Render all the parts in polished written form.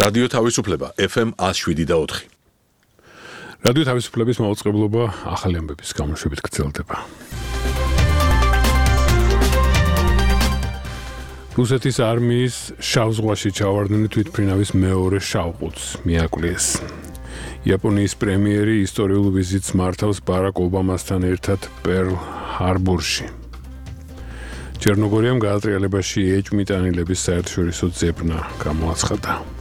რადიო თავისუფლება FM 107.4. რადიო თავისუფლების მაუწყებლობა ახალი ამბების გამოშვებით გრძელდება. რუსეთის არმიის შავ ზღვაში ჩავარდნილი თვითმფრინავის მეორე შავყუთს მიაკვლიეს. იაპონიის პრემიერი ისტორიულ ვიზიტს მართავს ბარაკ ობამასთან ერთად პერლ ჰარბორში. ჩერნოგორიამ გაატრიალებაში ეჭვმიტანილების საერთაშორისო ძებნა გამოაცხადა.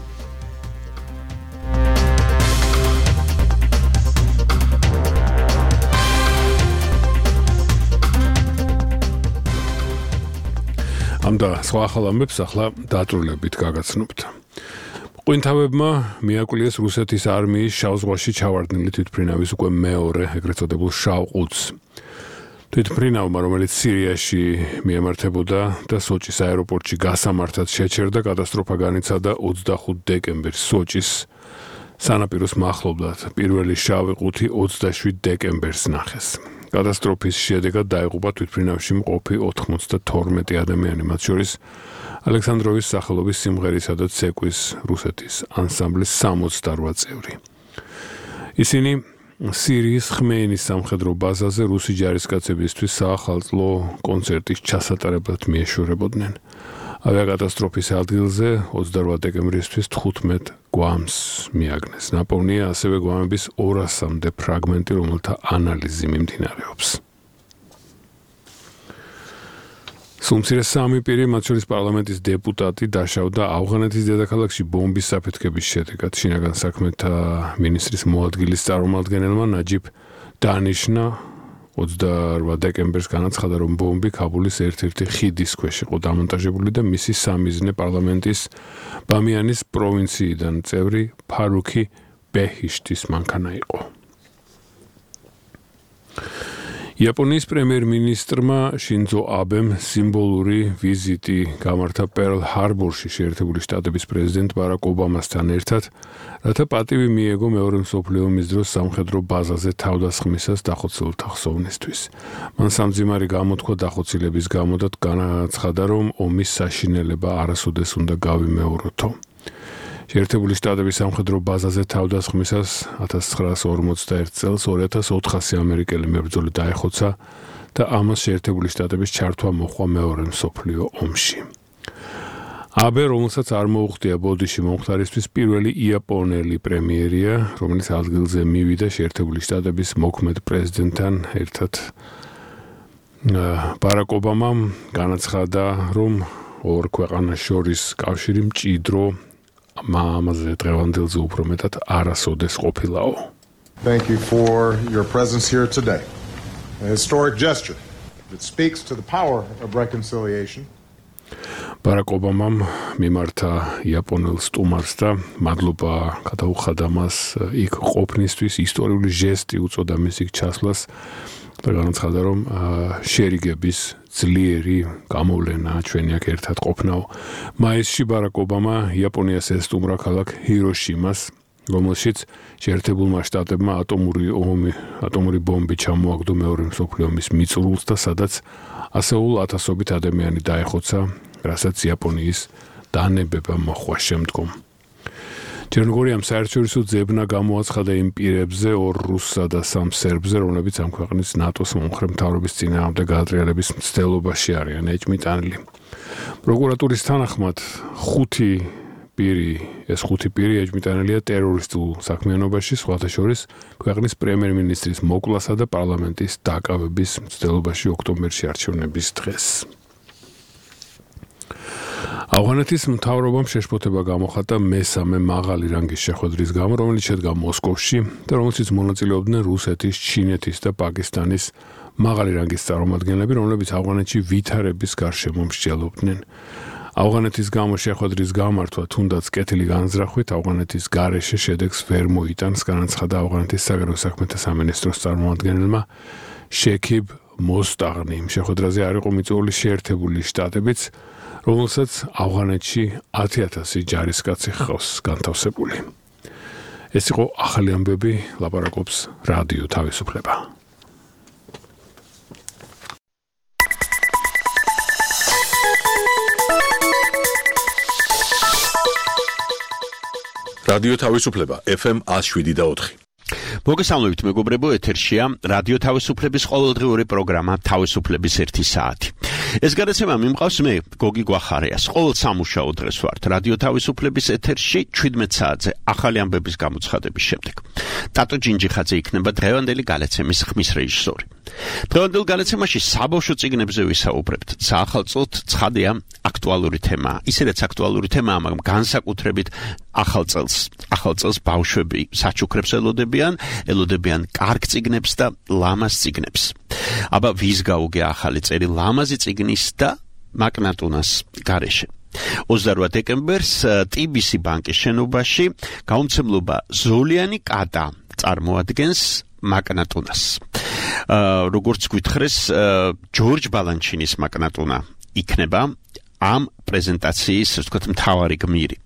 ამდა სხვა ახალ ამბებს ახლა დაწვრილებით გაგაცნობთ. ყვინთავებმა მიაკვლიეს რუსეთის არმიის შავ ზღვაში ჩავარდნილი თვითმფრინავის უკვე მეორე ეგრეთ წოდებულ შავყუთს. თვითმფრინავმა, რომელიც სირიაში მიემართებოდა და სოჭის აეროპორტში გასამართად შეჩერდა, კატასტროფა განიცადა 25 დეკემბერს სოჭის სანაპიროს მახლობლად. პირველი შავი ყუთი 27 დეკემბერს ნახეს. კატასტროფის შედეგად დაიღუპა თვითმფრინავში მყოფი 92 ადამიანი, მათ შორის ალექსანდროვის სახელობის სიმღერისა და ცეკვის რუსეთის ანსამბლის 68 წევრი. ისინი სირიის ხმეინის სამხედრო ბაზაზე რუსი ჯარისკაცებისთვის საახალწლო კონცერტის ჩასატარებლად მიეშორებოდნენ. ავიაკატასტროფის ადგილზე 28 დეკემბრისთვის 15 გვამს მიაგნეს. ნაპოვნია ასევე გვამების 200-მდე ფრაგმენტი, რომელთა ანალიზი მიმდინარეობს. სუმცირე სამი პირი, მათ შორის პარლამენტის დეპუტატი, დაშავდა ავღანეთის დედაქალაქში ბომბის საფეთქების შედეგად. შინაგან საქმეთა მინისტრის მოადგილის წარმომადგენელმა ნაჯიბ დანიშნა 28 დეკემბერს განაცხადა, რომ ბომბი ქაბულის ერთ-ერთი ხიდის ქვეშ იყო დამონტაჟებული და მისი სამიზნე პარლამენტის ბამიანის პროვინციიდან წევრი ფარუქი ბეჰიშტის მანქანა იყო. იაპონიის პრემიერ-მინისტრმა შინძო აბემ სიმბოლური ვიზიტი გამართა პერლ ჰარბორში შეერთებული შტატების პრეზიდენტ ბარაკ ობამასთან ერთად, რათა პატივი მიეგო მეორე მსოფლიო ომის დროს სამხედრო ბაზაზე თავდასხმისას დახოცილთა ხსოვნისთვის. მან სამძიმარი გამოთქვა დახოცილების გამო და განაცხადა, რომ ომის საშინელება არასოდეს უნდა გავიმეოროთო. შეერთებული შტატების სამხედრო ბაზაზე თავდასხმისას 1941 წელს 2400 ამერიკელი მებრძოლი დაეხოცა და ამას შეერთებული შტატების ჩართვა მოჰყვა მეორე მსოფლიო ომში. აბე, რომელსაც არ მოუხდია ბოდიში მომხდარისთვის, პირველი იაპონელი პრემიერია, რომელიც ადგილზე მივიდა შეერთებული შტატების მოქმედ პრეზიდენტთან ერთად. ბარაკ ობამამ განაცხადა, რომ ორ ქვეყანას შორის კავშირი მჭიდრო ამაზე დღევანდელზე უფრო მეტად არასოდეს ყოფილაო. Thank you for your presence here today. A historic gesture that speaks to the power of reconciliation. ბარაკ ობამამ მიმართა იაპონელ სტუმარს და მადლობა გადაუხადა მას იქ ყოფნისთვის, ისტორიული ჟესტი უწოდა მის იქ ჩასვლას და განაცხადა, რომ შერიგების ძლიერი გამოვლენა ჩვენი აქ ერთად ყოფნაო. მაისში ბარაკ ობამა იაპონიას ესტუმრა ქალაქ ჰიროშიმას, რომელშიც შეერთებულმა შტატებმა ატომური ბომბი ჩამოაგდო მეორე მსოფლიო ომის მიწურულს და სადაც ასეულ ათასობით ადამიანი დაეხოცა, რასაც იაპონიის დანებება მოჰყვა შემდგომ. ჩერნოგორიამ საერთაშორისო ძებნა გამოაცხადა იმ პირებზე, ორ რუსსა და სამ სერბზე, რომლებიც ამ ქვეყნის ნატოს მომხრე მთავრობის წინააღმდეგ გაატრიალების მცდელობაში არიან ეჭვმიტანილი. პროკურატურის თანახმად ეს ხუთი პირი ეჭვმიტანილია ტერორისტულ საქმიანობაში, სხვათა შორის ქვეყნის პრემიერ-მინისტრის მოკლასა და პარლამენტის დაკავების მცდელობაში ოქტომბერში არჩევნების დღეს. ავღანეთის მთავრობამ შეშფოთება გამოხატა მესამე მაღალი რანგის შეხვედრის გამო, რომელიც შედგა მოსკოვში და რომელშიც მონაწილეობდნენ რუსეთის, ჩინეთის და პაკისტანის მაღალი რანგის წარმომადგენლები, რომლებიც ავღანეთში ვითარების გარშემო მსჯელობდნენ. ავღანეთის გამო შეხვედრის გამართვა თუნდაც კეთილი განზრახვით ავღანეთის გარეშე შედეგს ვერ მოიტანს, განაცხადა ავღანეთის საგარეო საქმეთა სამინისტროს წარმომადგენელმა შექიბ მოსტაღნიმ. შეხვედრაზე არ იყო მიწვეული შეერთებული შტატებიც, რომელსაც ავღანეთში 10,000 ჯარისკაცი ჰყავს განთავსებული. ეს იყო ახალი ამბები, ლაპარაკობს რადიო თავისუფლება. რადიო თავისუფლება FM 107.4. მოგესალმებით მეგობრებო, ეთერშია რადიო თავისუფლების ყოველდღიური პროგრამა თავისუფლების 1 საათი. ეს გადაცემა მიმყავს მე, გოგი გვახარიას. ყოველ სამუშაო დღეს ვართ რადიო თავისუფლების ეთერში 17 საათზე ახალი ამბების გამოცხადების შემდეგ. ტატო ჯინჯიხაძე იქნება დღევანდელი გადაცემის ხმის რეჟისორი. დღევანდელ გადაცემაში საბავშვო წიგნებზე ვისაუბრებთ. საახალწლოდ ცხადია აქტუალური თემაა. ისედაც აქტუალური თემაა, მაგრამ განსაკუთრებით ახალ წელს ბავშვები საჩუქრებს ელოდებიან კარგ წიგნებს და ლამაზ წიგნებს. აბა ვის გაუგე ახალი წელი ლამაზი წიგნის და მაკნატუნას გარეშე. 28 დეკემბერს TBC ბანკის შენობაში გამომცემლობა ზოლიანი კატა წარმოადგენს მაკნატუნას. როგორც გვითხრეს, ჯორჯ ბალანჩინის მაკნატუნა იქნება ამ პრეზენტაციის, ასე ვთქვათ, მთავარი გმირი.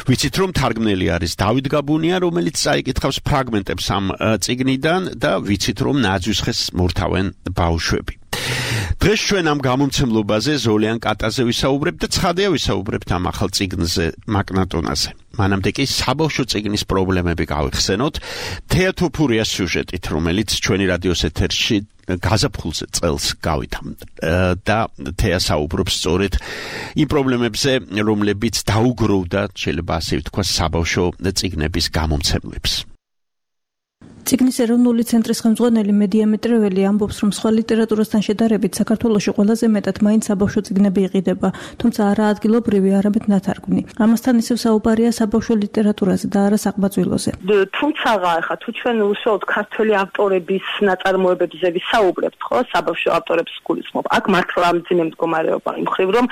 ვიცით, რომ თარგმნელი არის დავით გაბუნია, რომელიც წაიკითხავს ფრაგმენტებს ამ წიგნიდან და ვიცით, რომ ნაძვის მორთავენ ბავშვები. დღეს ჩვენ ამ გამომცემლობაზე ზოლიან კატაზე ვისაუბრებთ და ცხადია ვისაუბრებთ ამ ახალ წიგნზე, მაკნატუნაზე. მანამდე კი საბავშვო წიგნის პრობლემები გავიხსენოთ თეატოფურიას სიუჟეტით, რომელიც ჩვენი რადიოს ეთერში გაზაფხულზე წელს გავიდა და თეა საუბრობს სწორედ იმ პრობლემებზე, რომლებიც დაუგროვდა, შეიძლება ასე ვთქვა, საბავშვო წიგნების გამომცემლებს. წიგნის ეროვნული ცენტრის ხელმძღვანელი მედია მეტრეველი ამბობს, რომ სხვა ლიტერატურასთან შედარებით საქართველოში ყველაზე მეტად მაინც საბავშვო წიგნები იყიდება, თუმცა არა ადგილობრივი, არამედ ნათარგმნი. ამასთან ისევ საუბარია საბავშვო ლიტერატურაზე და არა საყბაწვილოზე. თუმცა ახლა თუ ჩვენ უშუალოდ ქართველი ავტორების ნაწარმოებებზე ვისაუბრებთ, ხო, საბავშვო ავტორებს გულისხმობ. აქ მართლა მძიმე მდგომარეობა იმ მხრივ, რომ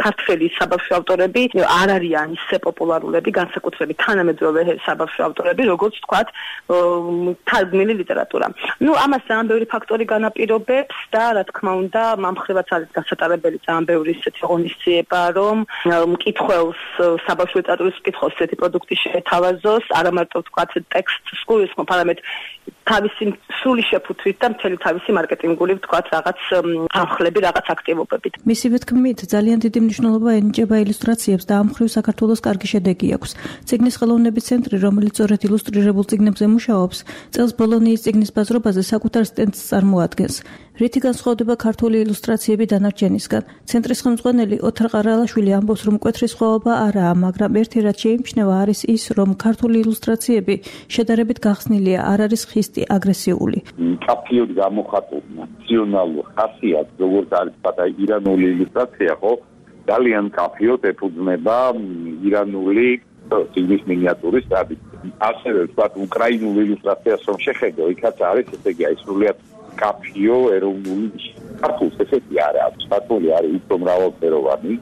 ქართველი საბავშვო ავტორები არ არიან ისე პოპულარულები, განსაკუთრებით თანამედროვე საბავშვო ავტორები, როგორც თქვათ თარგმნილი ლიტერატურა. ამას ძალიან ბევრი ფაქტორი განაპირობებს და რა თქმა უნდა, მამხრივაც არის გასატარებელი ძალიან ბევრი ისეთი ღონისძიება, რომ მკითხველს, საბავშვო ლიტერატურის მკითხველს ესეთი პროდუქტი შეეთავაზოს, არა მარტო ვთქვათ ტექსტს გულისხმობ, არამედ თავისი სრული შეფუთვით და მთელი თავისი მარკეტინგული ვთქვათ რაღაც ამხლები, რაღაც აქტივობებით. მისივე თქმით, ძალიან დიდი მნიშვნელობა ენიჭება ილუსტრაციებს და ამ მხრივ საქართველოს კარგი შედეგი აქვს. წიგნის ხელოვნების ცენტრი, რომელიც სწორედ ილუსტრირებულ წიგნებზე მუშაობს, წელს ბოლონიის წიგნის ბაზრობაზე საკუთარ სტენდს წარმოადგენს. რითი განსხვავდება ქართული ილუსტრაციები დანარჩენისგან? ცენტრის ხელმძღვანელი ოთარ ყარალაშვილი ამბობს, რომ მკვეთრი სხვაობა არაა, მაგრამ ერთი რაც შეიმჩნევა არის ის, რომ ქართული ილუსტრაციები შედარებით გახსნილია, არ არის ხისტი, აგრესიული. კაფიოდ გამოხატული ნაციონალურ ხასიათს, როგორც არის პატარა ირანული ილუსტრაცია, ხო, ძალიან კაფიოდ ეფუძნება ირანული წიგნის მინიატურის ტრადიციას. ასევე ვთქვათ, უკრაინული ილუსტრაციას რომ შეხედო, იქაც არის, ესე იგი, სრულიად კაფიო ეროვნული ქართულს ესეთი არ აქვს. ქართული არის უფრო მრავალფეროვანი.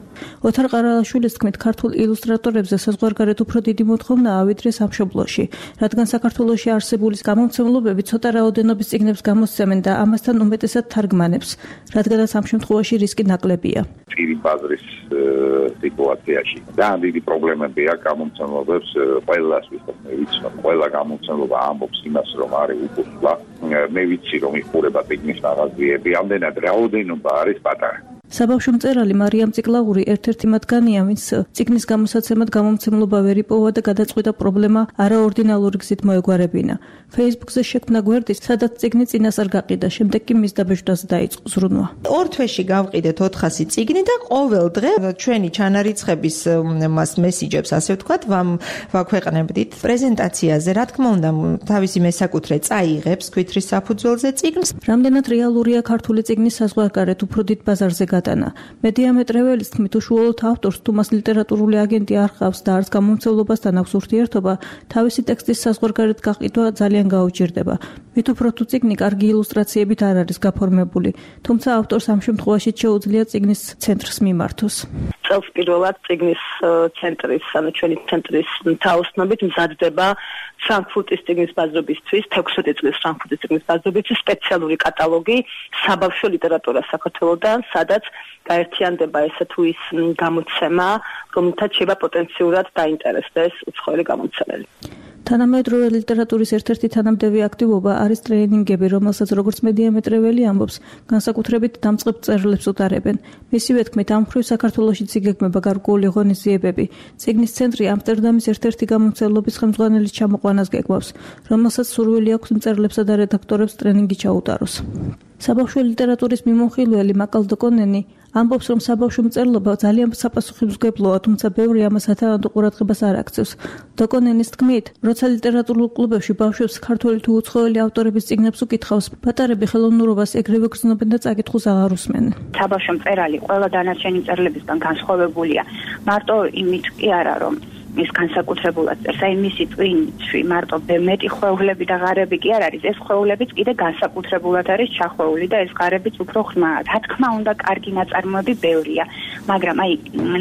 ოთარ ყარალაშვილის თქმით, ქართულ ილუსტრატორებზე საზღვარგარეთ უფრო დიდი მოთხოვნაა, ვიდრე სამშობლოში, რადგან საქართველოში არსებული გამომცემლობები ცოტა რაოდენობის წიგნებს გამოსცემენ და ამასთან უმეტესად თარგმანებს, რადგანაც ამ შემთხვევაში რისკი ნაკლებია. წირი ბაზრის სიტუაციაში ძალიან დიდი პრობლემებია გამომცემლობებს ყველას, ვისაც მე ვიცი, რომ ყველა გამომცემლობა ამბობს იმას, რომ არის უკუსლა. მე ვიცი, რომ იხურება წიგნის მაღაზიები, ამდენად რაოდენობა არის პატარა. საბავშვო მწერალი მარიამ ციკლაური ერთ-ერთი მათგანია, ვინც წიგნის გამოსაცემად გამომცემლობა ვერ იპოვა და გადაწყვიტა პრობლემა არაორდინალური გზით მოეგვარებინა. Facebook-ზე შექმნა გვერდი, სადაც წიგნი წინასწარ გაყიდა, შემდეგ კი მის დაბეჭდვაზე დაიწყო ზრუნვა. ორ თვეში გავყიდეთ 400 წიგნი და ყოველ დღე ჩვენი ჩანარიცხების მესიჯებს, ასე ვთქვათ, ვაქვეყნებდით პრეზენტაციაზე. რა თქმა უნდა, თავისი მესაკუთრე წაიღებს ქვითრის საფუძველზე წიგნს. რამდენად რეალურია ქართული წიგნის საზღვარგარეთ უფრო დიდ ბაზარზე გადანა. მედია მეტრეველის თქმით, უშუალოდ ავტორს თუ მას ლიტერატურული აგენტი არ ჰყავს და არც გამომცემლობასთან აქვს ურთიერთობა, თავისი ტექსტის საზღვარგარეთ გაყიდვა ძალიან გაუჭირდება. მით უფრო თუ წიგნი კარგი ილუსტრაციებით არ არის გაფორმებული, თუმცა ავტორს ამ შემთხვევაში შეუძლია წიგნის ცენტრს მიმართოს. წელს პირველად წიგნის ცენტრის, ანუ ჩვენი ცენტრის თაოსნობით მზადდება ფრანკფურტის წიგნის ბაზრობისთვის, 16 წლის ფრანკფურტის წიგნის ბაზრობისთვის სპეციალური კატალოგი საბავშვო ლიტერატურას საქართველოდან, სადაც გაერთიანდება ესე თუ ის გამოცემა, რომელთაც შეიძლება პოტენციურად დაინტერესდეს უცხოელი გამომცემელი. თანამედროვე ლიტერატურის ერთ-ერთი თანამდები აქტივობა არის ტრეინინგები, რომელსაც როგორც მედიამეტრეველი ამბობს, განსაკუთრებით დამწყებ მწერლებს უტარებენ. მისივე თქმით, ამ მხრივ საქართველოშიც იგეგმება გარკვეული ღონისძიებები. წიგნის ცენტრი ამსტერდამის ერთ-ერთი გამომცემლობის ხელმძღვანელის ჩამოყვანას გეგმავს, რომელსაც სურვილი აქვს მწერლებსა და რედაქტორებს ტრენინგი ჩაუტაროს. საბავშვო ლიტერატურის მიმოხილველი მაკალ დოკონენი ამბობს, რომ საბავშვო მწერლობა ძალიან საპასუხისმგებლოა, თუმცა ბევრი ამას ათანადო ყურადღებას არ აქცევს. დოკონენის თქმით, როცა ლიტერატურულ კლუბებში ბავშვებს ქართველი თუ უცხოელი ავტორების წიგნებს უკითხავს, პატარები ხელოვნურობას ეგრევე გრძნობენ და წაკითხულს აღარ უსმენენ. საბავშვო მწერალი ყველა დანარჩენი მწერლებისგან განსხვავებულია. მარტო იმით კი არა, რომ ის განსაკუთრებულად წერს, აი მისი ტვინში მარტო მეტი ხვეულები და ღარები კი არ არის, ეს ხვეულებიც კიდე განსაკუთრებულად არის ჩახვეული და ეს ღარებიც უფრო ღრმაა. რა თქმა უნდა, კარგი ნაწარმოები ბევრია, მაგრამ აი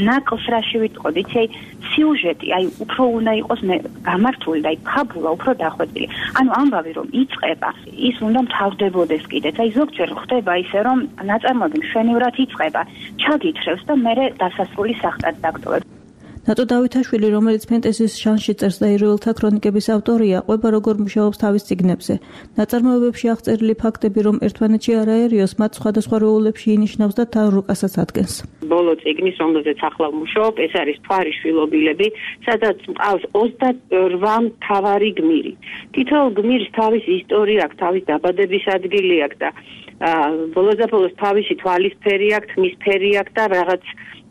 ნაკლს რაში ვიტყოდ, იცი, აი სიუჟეტი, აი უფრო უნდა იყოს გამართული და აი ფაბულა უფრო დახვეწილი. ანუ ამბავი რომ იწყება, ის უნდა მთავრდებოდეს კიდეც. აი ზოგჯერ ხდება ისე, რომ ნაწარმოები მშვენივრად იწყება, ჩაგითხრევს და მერე დასასრული სახტად დაგტოვებს. ნატო დავითაშვილი, რომელიც ფენტეზის ჟანრში წერს და ერეველთა ქრონიკების ავტორია, ყვება როგორ მუშაობს თავის წიგნებზე. ნაწარმოებებში აღწერილი ფაქტები, რომ ერთმანეთში არ აერიოს, მათ სხვადასხვა როლებში ინიშნავს და თან რუკასაც ადგენს. ბოლო წიგნის, რომელზეც ახლა ვმუშაობ, ეს არის მთვარის შვილობილები, სადაც მყავს 28 მთავარი გმირი. თითოეულ გმირს თავისი ისტორია აქვს, თავის დაბადების ადგილი აქვს და ბოლოს და ბოლოს თავისი თვალისფერი აქვს, თმისფერი აქვს და რაღაც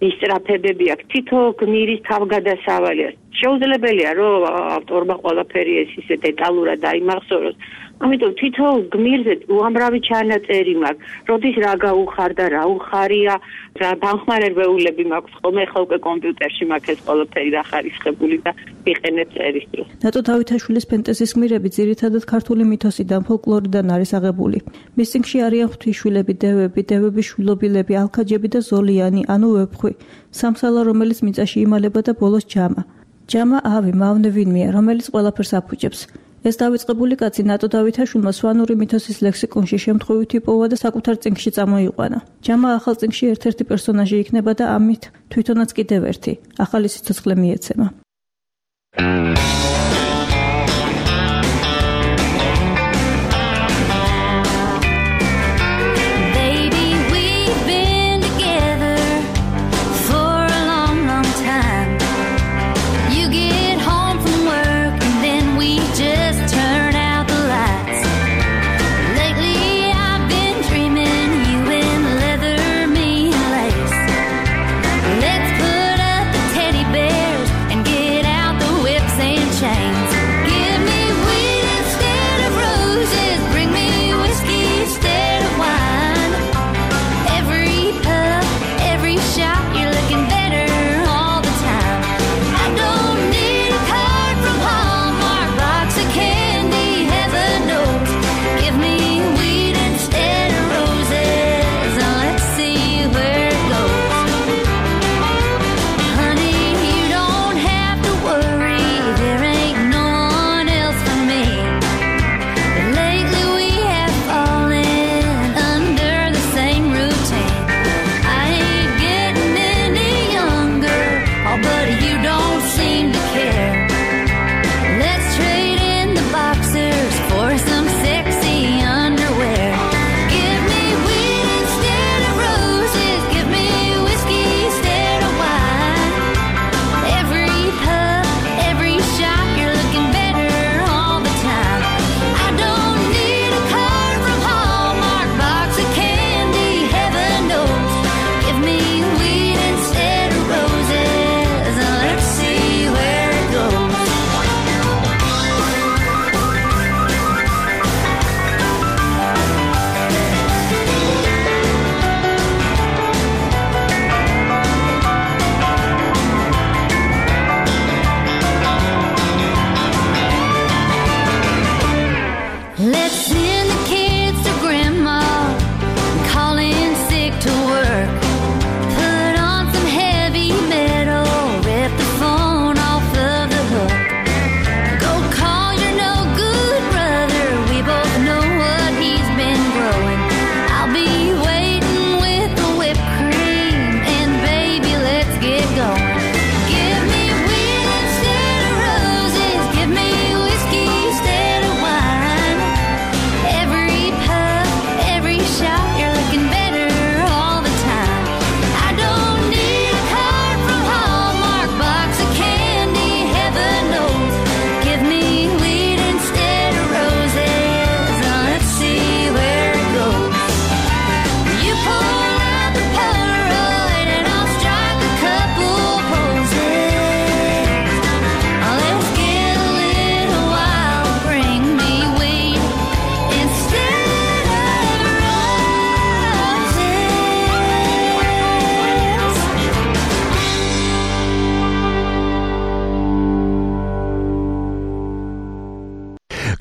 ისტრაფებები აქვს. თითო გმირის თავგადასავალია. შეუძლებელია, რომ ავტორმა ყველაფერი ეს ისე დეტალურად დაიმახსოვროს. ამიტომ თითო გმირზე უამრავი ჩანაწერი მაქვს. როდის რა გაუხარდა, რა უხარია, რა დამხმარებელები მაქვს. ხოლმე ხო უკვე კომპიუტერში მაქვს ეს ყველაფერი დახარისხებული და ვიყენებ წერის დროს. ნატო დავითაშვილის ფენტეზის გმირები ძირითადად ქართული მითოსიდან, ფოლკლორიდან არის აღებული. მის წიგნში არიან ღვთისშვილები, დევები, დევების შვილობილები, ალქაჯები და ზოლიანი, ანუ ვეფხვი. სამსალა, რომელიც მიწაში იმალება და ბოლოს ჯამა. ჯამა ავი, მავნე ვინმეა, რომელიც ყველაფერს აფუჭებს. ეს დავიწყებული კაცი ნატო დავითაშვილმა სვანური მითოსის ლექსიკონში შემთხვევით იპოვა და საკუთარ წიგნში წამოიყვანა. ჯამა ახალ წიგნში ერთ-ერთი პერსონაჟი იქნება და ამით თვითონაც კიდევ ერთი ახალი სიცოცხლე მიეცემა. Let's put up the teddy bears and get out the whips and chains.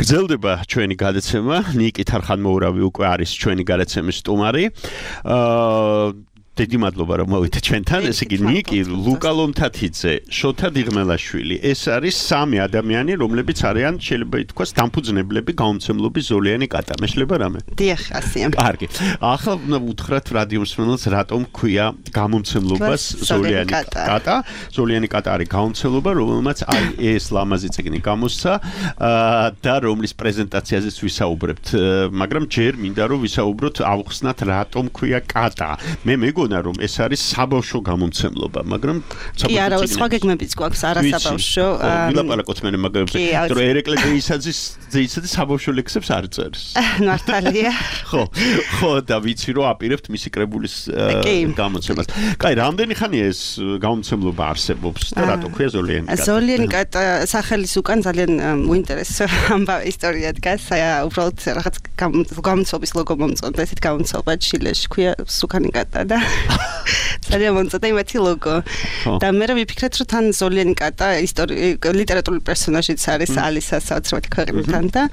გრძელდება ჩვენი გადაცემა. ნიკი თარხანმოურავი უკვე არის ჩვენი გადაცემის სტუმარი. დიდი მადლობა რომ მოვიდეთ ჩვენთან. ესე იგი ნიკი, ლუკა ლომთათიძე, შოთა დიღმელაშვილი. ეს არის სამი ადამიანი, რომლებიც არიან შეიძლება ითქვას დამფუძნებლები გაუმცემლობის ზოლიანი კატა. მეშლება რამე? დიახ, ასია. კარგი. ახლა უნდა უთხრათ რადიო მსმენელს რატომ ქვია გამომცემლობას ზოლიანი კატა. ზოლიანი კატა არის გამომცემლობა, რომელმაც აი ეს ლამაზი წიგნი გამოსცა და რომლის პრეზენტაციაზეც ვისაუბრებთ. მაგრამ ჯერ მინდა რომ ვისაუბროთ, ავხსნათ რატომ ქვია კატა. მე მეგონა რომ ეს არის საბავშვო გამომცემლობა, მაგრამ კი არა, სხვა გეგმებიც გვაქვს არასაბავშვო. ვილაპარაკოთ მე მაგალითად, რომ ერეკლე ძეისაძე საბავშვო ლექსებს არ წერს. მართალია. ხო, და ვიცი რომ აპირებთ მისი კრებულის გამოცემას. კაი, რამდენი ხანია ეს გამომცემლობა არსებობს და რატო ქვია ზოლიანი კატა? ზოლიანი კატა სახელის უკან ძალიან უინტერესო ამბავი ისტორია დგას. უბრალოდ რაღაც გამოცობის ლოგო მომწონდა, ესეთ გამოცობა ჩილეში ქვია სუკანი კატა და ძალიან მომწონდა იმათი ლოგო. და მე ვიფიქრეთ რომ თან ზოლიანი კატა ლიტერატურული პერსონაჟიც არის ალისა საოცრებადი ქვეყნიდან და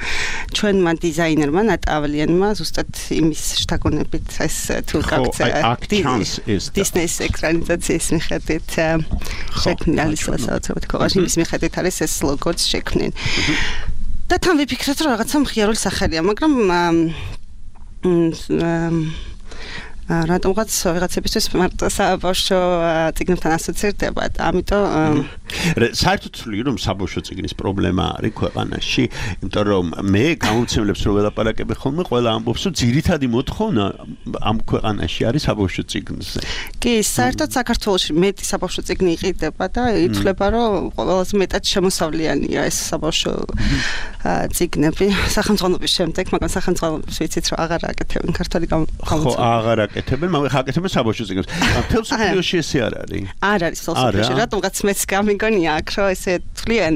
ჩვენმა დიზაინერმა ნატავლიანმა ზუსტად იმის შთაგონებით ეს თუ გაქცევა დისნეის ეკრანიზაციის მიხედვით შექმნილი ალისა საოცრებადი ქვეყნიდან იმის მიხედვით არის ეს ლოგოც შექმნილი. და თან ვიფიქრეთ რომ რაღაცა მხიარული სახელია, მაგრამ რატომღაც ვიღაცებისთვის მარტო საბავშვო წიგნებთან ასოცირდება, ამიტომ საერთოდ ვთვლი რომ საბავშვო წიგნის პრობლემა არის ქვეყანაში, იმიტომ რომ მე გამომცემლებს რო ველაპარაკები ხოლმე, ყველა ამბობს რომ ძირითადი მოთხოვნა ამ ქვეყანაში არის საბავშვო წიგნზე. კი, საერთოდ საქართველოში მეტი საბავშვო წიგნი იყიდება და ითვლება რომ ყველაზე მეტად შემოსავლიანია ეს საბავშვო წიგნები სახელმწიფოების შემდეგ, მაგრამ სახელმწიფოებს ვიცით რომ აღარ აკეთებენ ქართული გამოცემა. აღარ აკეთებენ, მაგრამ აკეთებენ საბავშვო წიგნებს. თელს ფილოში ესე არ არის. არ არის ფილოში, რატომღაც მეც გამიგონია აქ რომ ესე თვლიან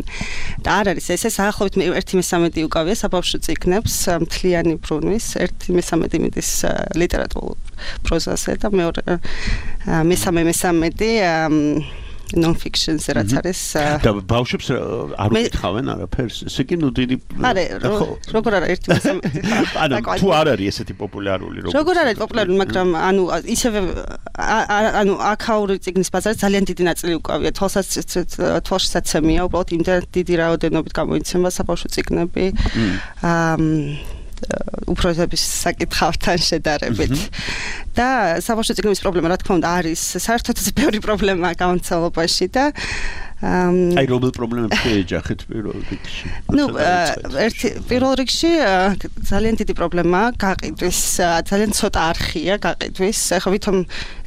და არ არის ესე საახლოვით 1/3 უკავია საბავშვო წიგნებს მთლიანი ბრუნვის, 1/3 მიდის ლიტერატურულ პროზაზე და მესამე non-fiction-ზე რაც არის და ბავშვებს არ უკითხავენ არაფერს. ესე კი ნუ დიდი როგორ არა 1/3 ანუ თუ არ არის ესეთი პოპულარული როგორ არის პოპულარული, მაგრამ ანუ ისევე ანუ აქაური წიგნის ბაზარი ძალიან დიდი ნაწილი უკავია. თვალშისაცემია, უბრალოდ იმდენ დიდი რაოდენობით გამოიცემა საბავშვო წიგნები. უფროსების საკითხავთან შედარებით. და საბავშვო წიგნების პრობლემა რა თქმა უნდა არის საერთოდ ბევრი პრობლემაა გამოცემლობაში და აი რომელ პრობლემებს შეეჯახეთ პირველ რიგში? ნუ პირველ რიგში ძალიან დიდი პრობლემაა გაყიდვის, ძალიან ცოტა არხია გაყიდვის. ახლა ვითომ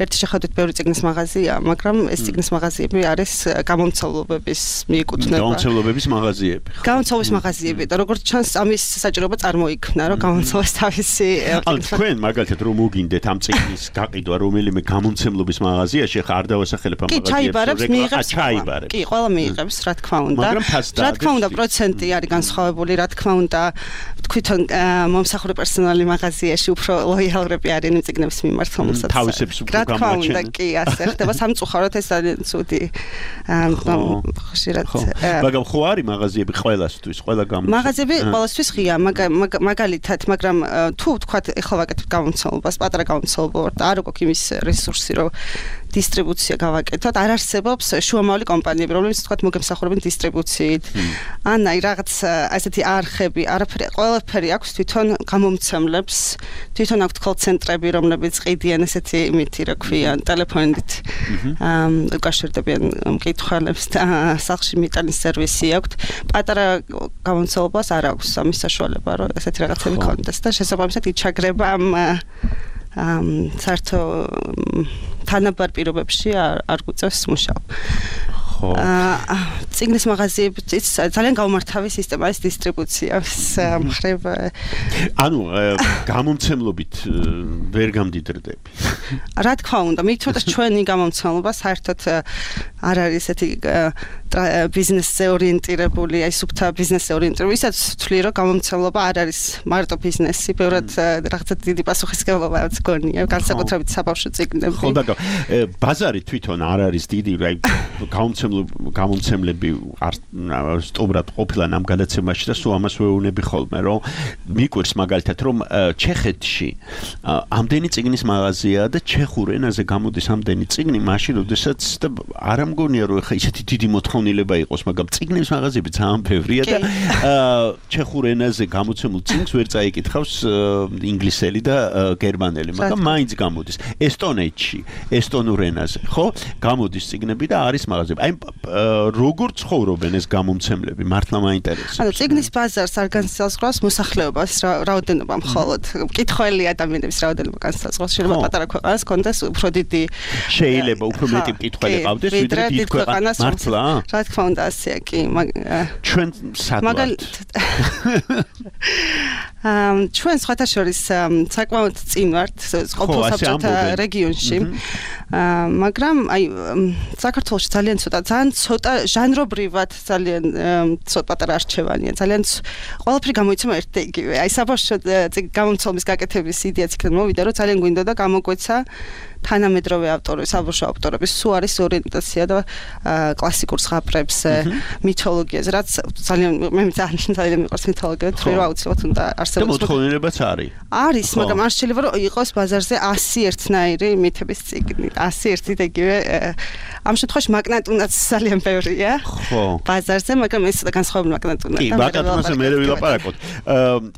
ერთი შეხედვით ბევრი წიგნის მაღაზია, მაგრამ ეს წიგნის მაღაზიები არის გამომცემლობების მიეკუთვნება. გამომცემლობების მაღაზიები. გამომცემლობის მაღაზიები და როგორც ჩანს ამის საჭიროება წარმოიქმნა, რომ გამომცემლოს თავისი ანუ თქვენ მაგალითად რომ მოგინდეთ ამ წიგნის გაყიდვა რომელიმე გამომცემლობის მაღაზიაში, ხა არ დავასახელებ ამ მაღაზიებს. კი, ჩაიბარებს, მიიღებს. ჩაიბარებს. კი, ყველა მიიღებს, რა თქმა უნდა. რა თქმა უნდა, პროცენტი არის განსხვავებული, რა თქმა უნდა, თვითონ მომსახურე პერსონალი მაღაზიაში უფრო ლოიალურები არიან იმ წიგნების მიმართ, რომელსაც თავისებს უფრო გამაჩენენ. რა თქმა უნდა, კი, ასე ხდება სამწუხაროდ ეს ძალიან ცუდი ხშირად. მაგრამ ხო არის მაღაზიები ყველასთვის, ყველა გამოცემა. მაღაზიები ყველასთვის ღია, მაგალითად, მაგრამ თუ ვთქვათ, ეხლა ვაკეთებ გამოცემლობას, პატარა გამოცემლობა ვარ და არ გვაქვს იმის რესურსი, რომ დისტრიბუცია გავაკეთოთ, არ არსებობს შუამავალი კომპანიები, რომლებიც თქვათ მოგემსახურებენ დისტრიბუციით. ან აი რაღაც ასეთი არხები, ყველაფერი აქვს თვითონ გამომცემლებს, თვითონ აქვს კოლ-ცენტრები, რომლებიც ყიდიან ესეთი იმითი, რა ქვია, ტელეფონით უკავშირდებიან მკითხველებს და სახლში მიტანის სერვისი აქვს. პატარა გამომცემლობას არ აქვს ამის საშუალება, რომ ესეთი რაღაცები ქონდეს და შესაბამისად იჩაგრება საერთო თანაბარ პირობებში არ გვიწევს მუშაობა. წიგნის მაღაზიებიც ძალიან გაუმართავი სისტემა ის დისტრიბუციას მხრივ. ანუ გამომცემლობით ვერ გამდიდრდები. რა თქმა უნდა, მით უმეტეს ჩვენი გამომცემლობა საერთოდ არ არის ესეთი ბიზნესზე ორიენტირებული, აი სუფთა ბიზნესზე ორიენტირებული, ისაც ვთვლი, რომ გამომცემლობა არ არის მარტო ბიზნესი, ბევრად რაღაცა დიდი პასუხისმგებლობაც გონია, განსაკუთრებით საბავშვო წიგნები. ხო და ბაზარი თვითონ არ არის დიდი, აი გამომცემლები არ სტუბრად ყოფილან ამ გადაცემაში და სულ ამას ვეუბნები ხოლმე, რომ მიკვირს მაგალითად, რომ ჩეხეთში ამდენი წიგნის მაღაზიაა და ჩეხურ ენაზე გამოდის ამდენი წიგნი, მაშინ როდესაც და არ ამგონია რომ ხა ისეთი დიდი მოთხოვნილება იყოს, მაგრამ წიგნების მაღაზიები ძალიან ბევრია და ჩეხურ ენაზე გამოცემულ წიგნს ვერ წაიკითხავს ინგლისელი და გერმანელი, მაგრამ მაინც გამოდის. ესტონეთში, ესტონურ ენაზე, ხო? გამოდის წიგნები და არის მაღაზიები. აი როგორ ცხოვრობენ ეს გამომცემლები? მართლა მაინტერესებს. ანუ წიგნის ბაზარს არ განსაზღვრავს მოსახლეობას, რაოდენობა მხოლოდ. მკითხველი ადამიანების რაოდენობა განსაზღვრავს. შეიძლება პატარა ქვეყანას კონდეს უფრო დიდი შეიძლება უფრო მეტი მკითხველი ყავდეს, ვიდრე დიდ ქვეყანას. მართლა? რა თქმა უნდა, ასეა კი. ჩვენ სად ჩვენ სხვათა შორის საკმაოდ წინ ვართ ყოფილ საბჭოთა რეგიონში. მაგრამ აი საქართველოში ძალიან ცოტა ჟანრობრივად ძალიან ცოტა პატარა არჩევანია. ძალიან ყველაფერი გამოიცემა ერთ და იგივე. აი საბავშვო გამომცემლობის გაკეთების იდეაც იქნებ მოვიდა, რომ ძალიან გვინდოდა გამოგვეცა თანამედროვე ავტორები, საბავშვო ავტორების სულ არის ორიენტაცია და კლასიკურ ზღაპრებზე, მითოლოგიაზე, რაც ძალიან მე ძალიან მიყვარს მითოლოგია, თუ რა აუცილებლად უნდა არსებობს. და მოთხოვნილებაც არის. არის, მაგრამ არ შეიძლება რომ იყოს ბაზარზე 100 ერთნაირი მითების წიგნი, 100 ერთი და იგივე. ამ შემთხვევაში მაგნატუნაც ძალიან ბევრია. ხო. ბაზარზე, მაგრამ ეს განსხვავებული მაგნატუნა. კი, მაგნატუნაზე მე ვილაპარაკოთ.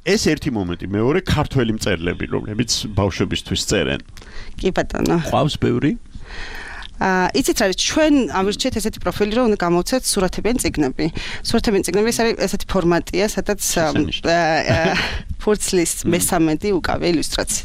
ეს ერთი მომენტი, მეორე ქართველი მწერლები, რომლებიც ბავშვებისთვის წერენ. კი ბატონო. ყავს ბევრი? იცით რა, ჩვენ ამირჩიეთ ესეთი პროფილი, რომ უნდა გამოვცეთ სურათებიანი წიგნები. სურათებიანი წიგნები ეს არის ესეთი ფორმატია, სადაც ფურცლის მესამედი უკავია ილუსტრაცია.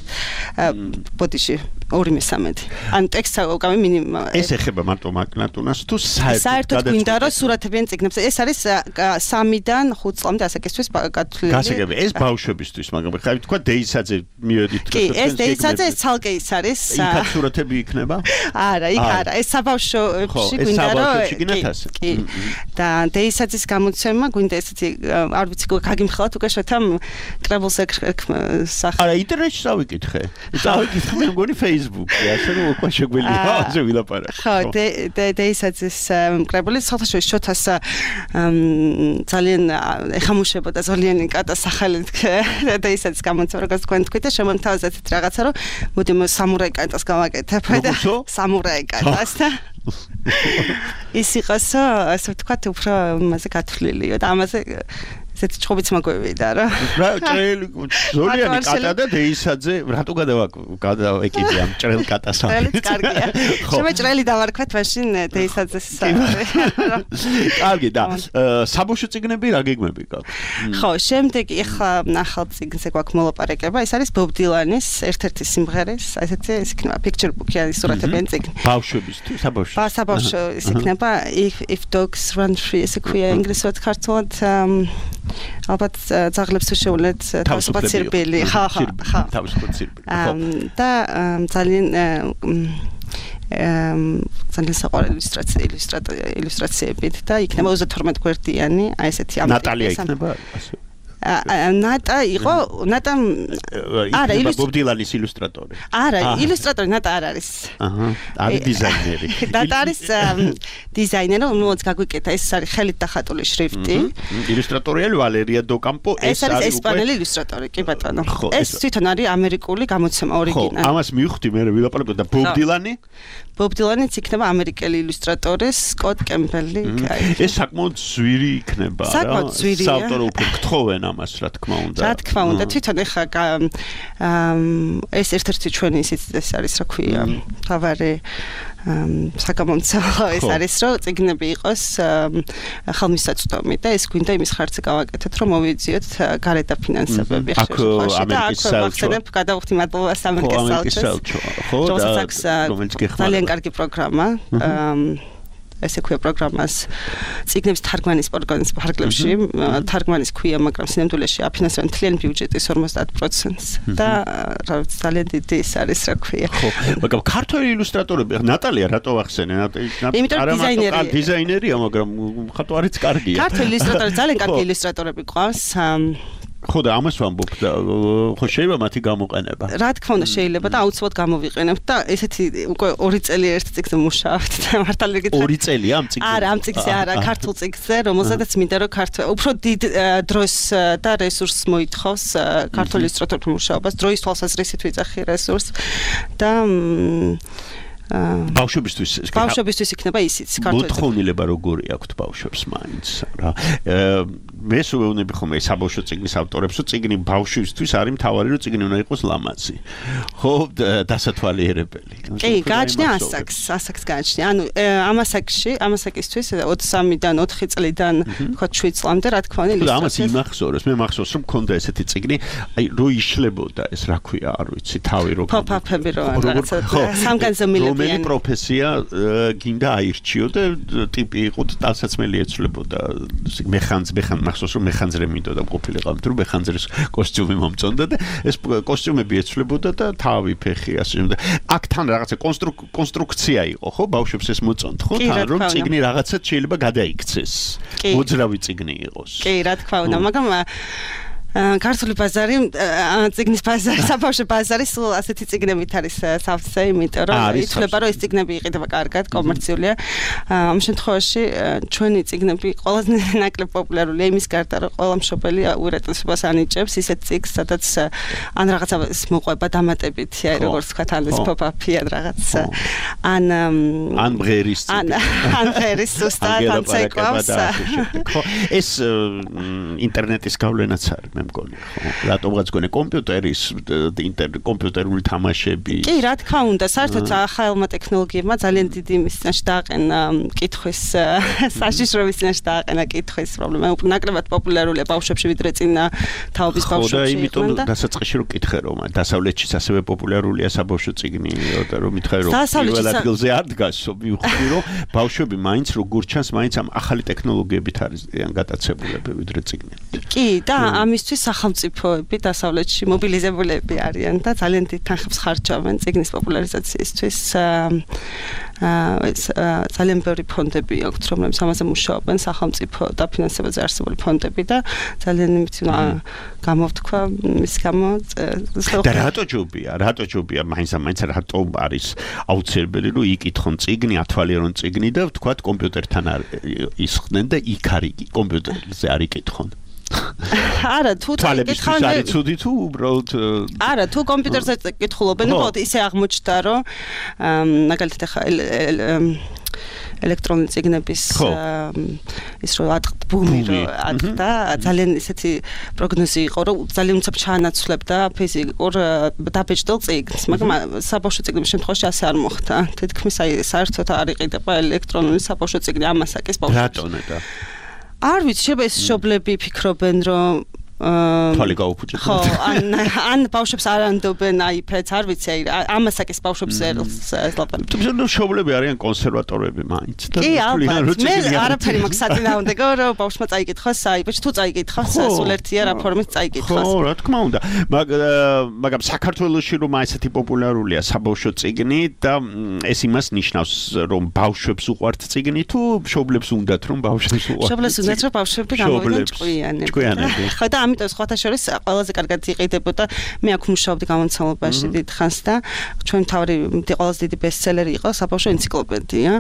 ბოდიში 2/3. ან ტექსტს უკავია მინიმუმ. ეს ეხება მარტო მაგნატუნას თუ საერთოდ გვინდა რომ სურათებიანი წიგნებს. ეს არის 3-დან 5 წლამდე ასაკისთვის გათვლილი. გასაგები, ეს ბავშვებისთვის, მაგრამ ხა თქვა დეისაძე მივედით. კი, ეს დეისაძე ეს ცალკე ის არის. იქაც სურათები იქნება? არა, იქ არა, ეს საბავშვოში გვინდა რომ კი. და დეისაძის გამოცემა გვინდა ესეთი არ ვიცი გაგიმხელათ უკვე შეთამ კრებულს სახე. არა, ინტერნეტში დავიკითხე. დავიკითხე მე მგონი Facebook-ი, ასე რომ უკვე შეგვიძლია ასე ვილაპარაკო. ხო, დეისაძის კრებული საერთაშორისო შოთას ძალიან ეხამუშებოდა ზოლიანი კატა სახელით დეისაძის გამოცემა, როგორც თქვენ თქვით და შემოთავაზეთ რაღაცა რომ მოდი სამურაი კატას გავაკეთებ და სამურაი კატას და ის იყოს ასე ვთქვათ უფრო მასე გათვლილია და ამაზე ესეთი ჭობიც მაგვევიდა რა. რა ჭრელი ზოლიანი კატა და დეისაძე რატო გადავეკიდე ამ ჭრელ კატას? ჭრელიც კარგია. შემე ჭრელი დავარქვათ მაშინ დეისაძეს. კარგი და საბავშვო წიგნები რა გეგმები გაქვთ? ხო, შემდეგი ახლა ნახალ წიგნზე გვაქვს მოლაპარაკება. ეს არის ბობ დილანის ერთ-ერთი სიმღერის, ესეთი ის იქნება picture book-ი არის სურათებიანი წიგნი. ბავშვების თუ საბავშვო? საბავშვო ის იქნება if dogs run free ესე ქვია ინგლისურად ქართულად ალბათ ძაღლებს თუ შეუძლეთ თავისუფლად სირბილი. ხა. თავისუფლად სირბილი. და ძალიან ძალიან საყვარელი ილუსტრაციებით და იქნება 32 გვერდიანი, აი ესეთი ამ ნატალია იქნება ასე. ნატა იყო არა ბობ დილანის ილუსტრატორი. არა, ილუსტრატორი ნატა არ არის. არის დიზაინერი. ნატა არის დიზაინერი, რომელიც გაგვიკეთა, ეს არის ხელით დახატული შრიფტი. ილუსტრატორია ვალერია დოკამპო, ეს არის ესპანელი ილუსტრატორი, კი ბატონო. ეს თვითონ არის ამერიკული გამოცემა ორიგინალი. ხო, ამას მივხვდი მე ვილაპარაკო და ბობ დილანი? ბობ დილანიც იქნება ამერიკელი ილუსტრატორი სკოტ კემბელი. ეს საკმაოდ ძვირი იქნება რა. საკმაოდ ძვირია. საავტორო უფრო გთხოვენ ამას, რა თქმა უნდა. რა თქმა უნდა, თვითონ ეხა ეს ერთ-ერთი ჩვენი ისიც ეს არის რა ქვია, თავარი საკამომცემლო ეს არის, რომ წიგნები იყოს ხელმისაწვდომი და ეს გვინდა იმის ხარჯზე გავაკეთოთ, რომ მოვიძიოთ გარეთ დაფინანსებები ხშირში და აქ ვახსენებ გადავხდი მადლობას ამერიკის საელჩოს. ხო, და რომელიც გეხმარება. ძალიან კარგი პროგრამა. ესე ქვია პროგრამას ციგნების თარგმანის პროგრამის ფარგლებში თარგმანის ქვია, მაგრამ სინამდვილეში აფინანსებენ მთლიანი ბიუჯეტის 50%-ს და ძალიან დიდი ის არის რა ქვია. ხო, მაგრამ ქართველი ილუსტრატორები, ნატალია რატო ახსენე? დიზაინერია, მაგრამ ხატო არის კარგია. ქართველი ილუსტრატორები ძალიან კარგი ილუსტრატორები ყავს. ხო და ამას ვამბობ და ხო შეიძლება მათი გამოყენება. რა თქმა უნდა შეიძლება და აუცილებლად გამოვიყენებთ და ესეთი უკვე 2 წელი ერთ წიგნზე მუშაობთ და მართალი გითხრათ. 2 წელია ამ წიგნზე? არა, ამ წიგნზე არა, ქართულ წიგნზე, რომელზედაც მინდა რომ უფრო დიდ დროს და რესურსს მოითხოვს ქართული ილუსტრატორების მუშაობას, დროის თვალსაზრისით ვიძახი რესურსს და ბავშვებისთვის იქნება ისიც ქართული. მოთხოვნილება როგორი აქვთ ბავშვებს მაინც რა. მე სულეუნები ხომ ეს საბავშვო წიგნის ავტორებს, რომ წიგნი ბავშვისთვის არის მთავარი, რომ წიგნი უნდა იყოს ლამაზი. ხო, დასათვალიერებელი. კი, გააჩნია ასაკს გააჩნია. ანუ ამასაკისთვის 23-დან 4 წლიდან თქვა 7 წლამდე რა თქმა უნდა ილუსტრაციას. ამას იმახსოვრებს, მე მახსოვს რომ მქონდა ესეთი წიგნი, აი რო იშლებოდა ეს რა ქვია, არ ვიცი, თავი რო პოპ-აპები რო რაღაცა სამგანზომილებიანი რომელი პროფესია გინდა აირჩიო და ტიპი იყო ტალსაცმელი ეცვლებოდა მახსოვს რომ მეხანძრე მინდოდა ყოფილიყავ თუ მეხანძრის კოსტიუმი მომწონდა და ეს კოსტიუმები ეცვლებოდა და თავი ფეხი ასე და აქ თან რაღაცა კონსტრუქცია იყო ხო ბავშვებს ეს მოწონთ ხო თან რომ წიგნი რაღაცა შეიძლება გადაიქცეს მოძრავი წიგნი იყოს კი რა თქმა უნდა მაგრამ ქართული ბაზარი, წიგნის ბაზარი, საბავშვო ბაზარი სულ ასეთი წიგნებით არის სავსე, იმიტომ რომ ითვლება რომ ეს წიგნები იყიდება კარგად, კომერციულია. ამ შემთხვევაში ჩვენი წიგნები ყველაზე ნაკლებ პოპულარულია იმის გარდა, რომ ყველა მშობელი უირატესობას ანიჭებს ისეთ წიგნს, სადაც ან რაღაცა მოყვება დამატებითი, აი როგორც თქვა თან ეს pop-up-ი ან რაღაცა. ან მღერის ან მღერის ზუსტად ან ცეკვავს. ხო, ეს ინტერნეტის გავლენაც არის. მგონი ხო რატომღაც გონე კომპიუტერული თამაშები კი რა თქმა უნდა საერთოდ ახალმა ტექნოლოგიებმა ძალიან დიდი მისცნაში დააყენა კითხვის საშიშროების მისცნაში დააყენა კითხვის პრობლემა ნაკლებად პოპულარულია ბავშვებში ვიდრე წინა თაობის ბავშვებში და იმიტომ დასაწყისში რომ კითხე რომ დასავლეთშიც ასევე პოპულარულია საბავშვო წიგნი და რომ მითხე რომ პირველ ადგილზე არ დგას მივხვდი რომ ბავშვები მაინც როგორ ჩანს მაინც ამ ახალი ტექნოლოგიებით არის გატაცებულები ვიდრე წიგნები კი და ამის სახელმწიფოები დასავლეთში მობილიზებულები არიან და ძალიან დიდ თანხებს ხარჯავენ წიგნის პოპულარიზაციისთვის. ძალიან ბევრი ფონდები აქვთ, რომლებიც ამაზე მუშაობენ, სახელმწიფო დაფინანსებაზე არსებული ფონდები და ძალიან იმით გამოვთქვა მის გამო და რატო ჯობია მაინც რატო არის აუცილებელი რომ იკითხონ წიგნი, ათვალიერონ წიგნი და ვთქვათ კომპიუტერთან ისხდნენ და იქ არის კომპიუტერზე არ იკითხონ. არა თუ თვალებისთვის არის ცუდი თუ უბრალოდ არა თუ კომპიუტერზე კითხულობენ უბრალოდ ისე აღმოჩნდა რომ მაგალითად ახლა ელექტრონული წიგნების ის რო ბუმი რო ატყდა ძალიან ისეთი პროგნოზი იყო რომ ძალიან უცებ ჩაანაცვლებდა ფიზიკურ დაბეჭდილ წიგნს მაგრამ საბავშვო წიგნების შემთხვევაში ასე არ მოხდა თითქმის აი საერთოდ არ იყიდება ელექტრონული საბავშვო წიგნი ამასაკის ბავშვებს რატომ და არ ვიცი, შეიძლება ეს მშობლები ფიქრობენ, რომ თვალი გაუფუჭებენ. ხო, ან ბავშვებს არ ანდობენ iPad-ს, არ ვიცი, ამასაკის ბავშვებს ელაპარაკობენ. თუმცა მშობლები არიან კონსერვატორები მაინც და კი, ალბათ. მე არაფერი მაქვს საწინააღმდეგო, რომ ბავშვმა წაიკითხოს iPad-ში, თუ წაიკითხოს, სულ ერთია რა ფორმით წაიკითხოს. ხო, რა თქმა უნდა. მაგრამ საქართველოში რომ ესეთი პოპულარულია საბავშვო წიგნი და ეს იმას ნიშნავს, რომ ბავშვებს უყვართ წიგნი თუ მშობლებს უნდათ რომ ბავშვებს უყვართ. მშობლებს უნდათ რომ ბავშვები გამოვიდნენ ჭკვიანები. ხო და ამიტომ სხვათა შორის ყველაზე კარგად იყიდებოდა მე აქ მუშაობდი გამომცემლობაში დიდ ხანს და ჩვენ თავი ყველაზე დიდი ბესტსელერი იყო საბავშვო ენციკლოპედია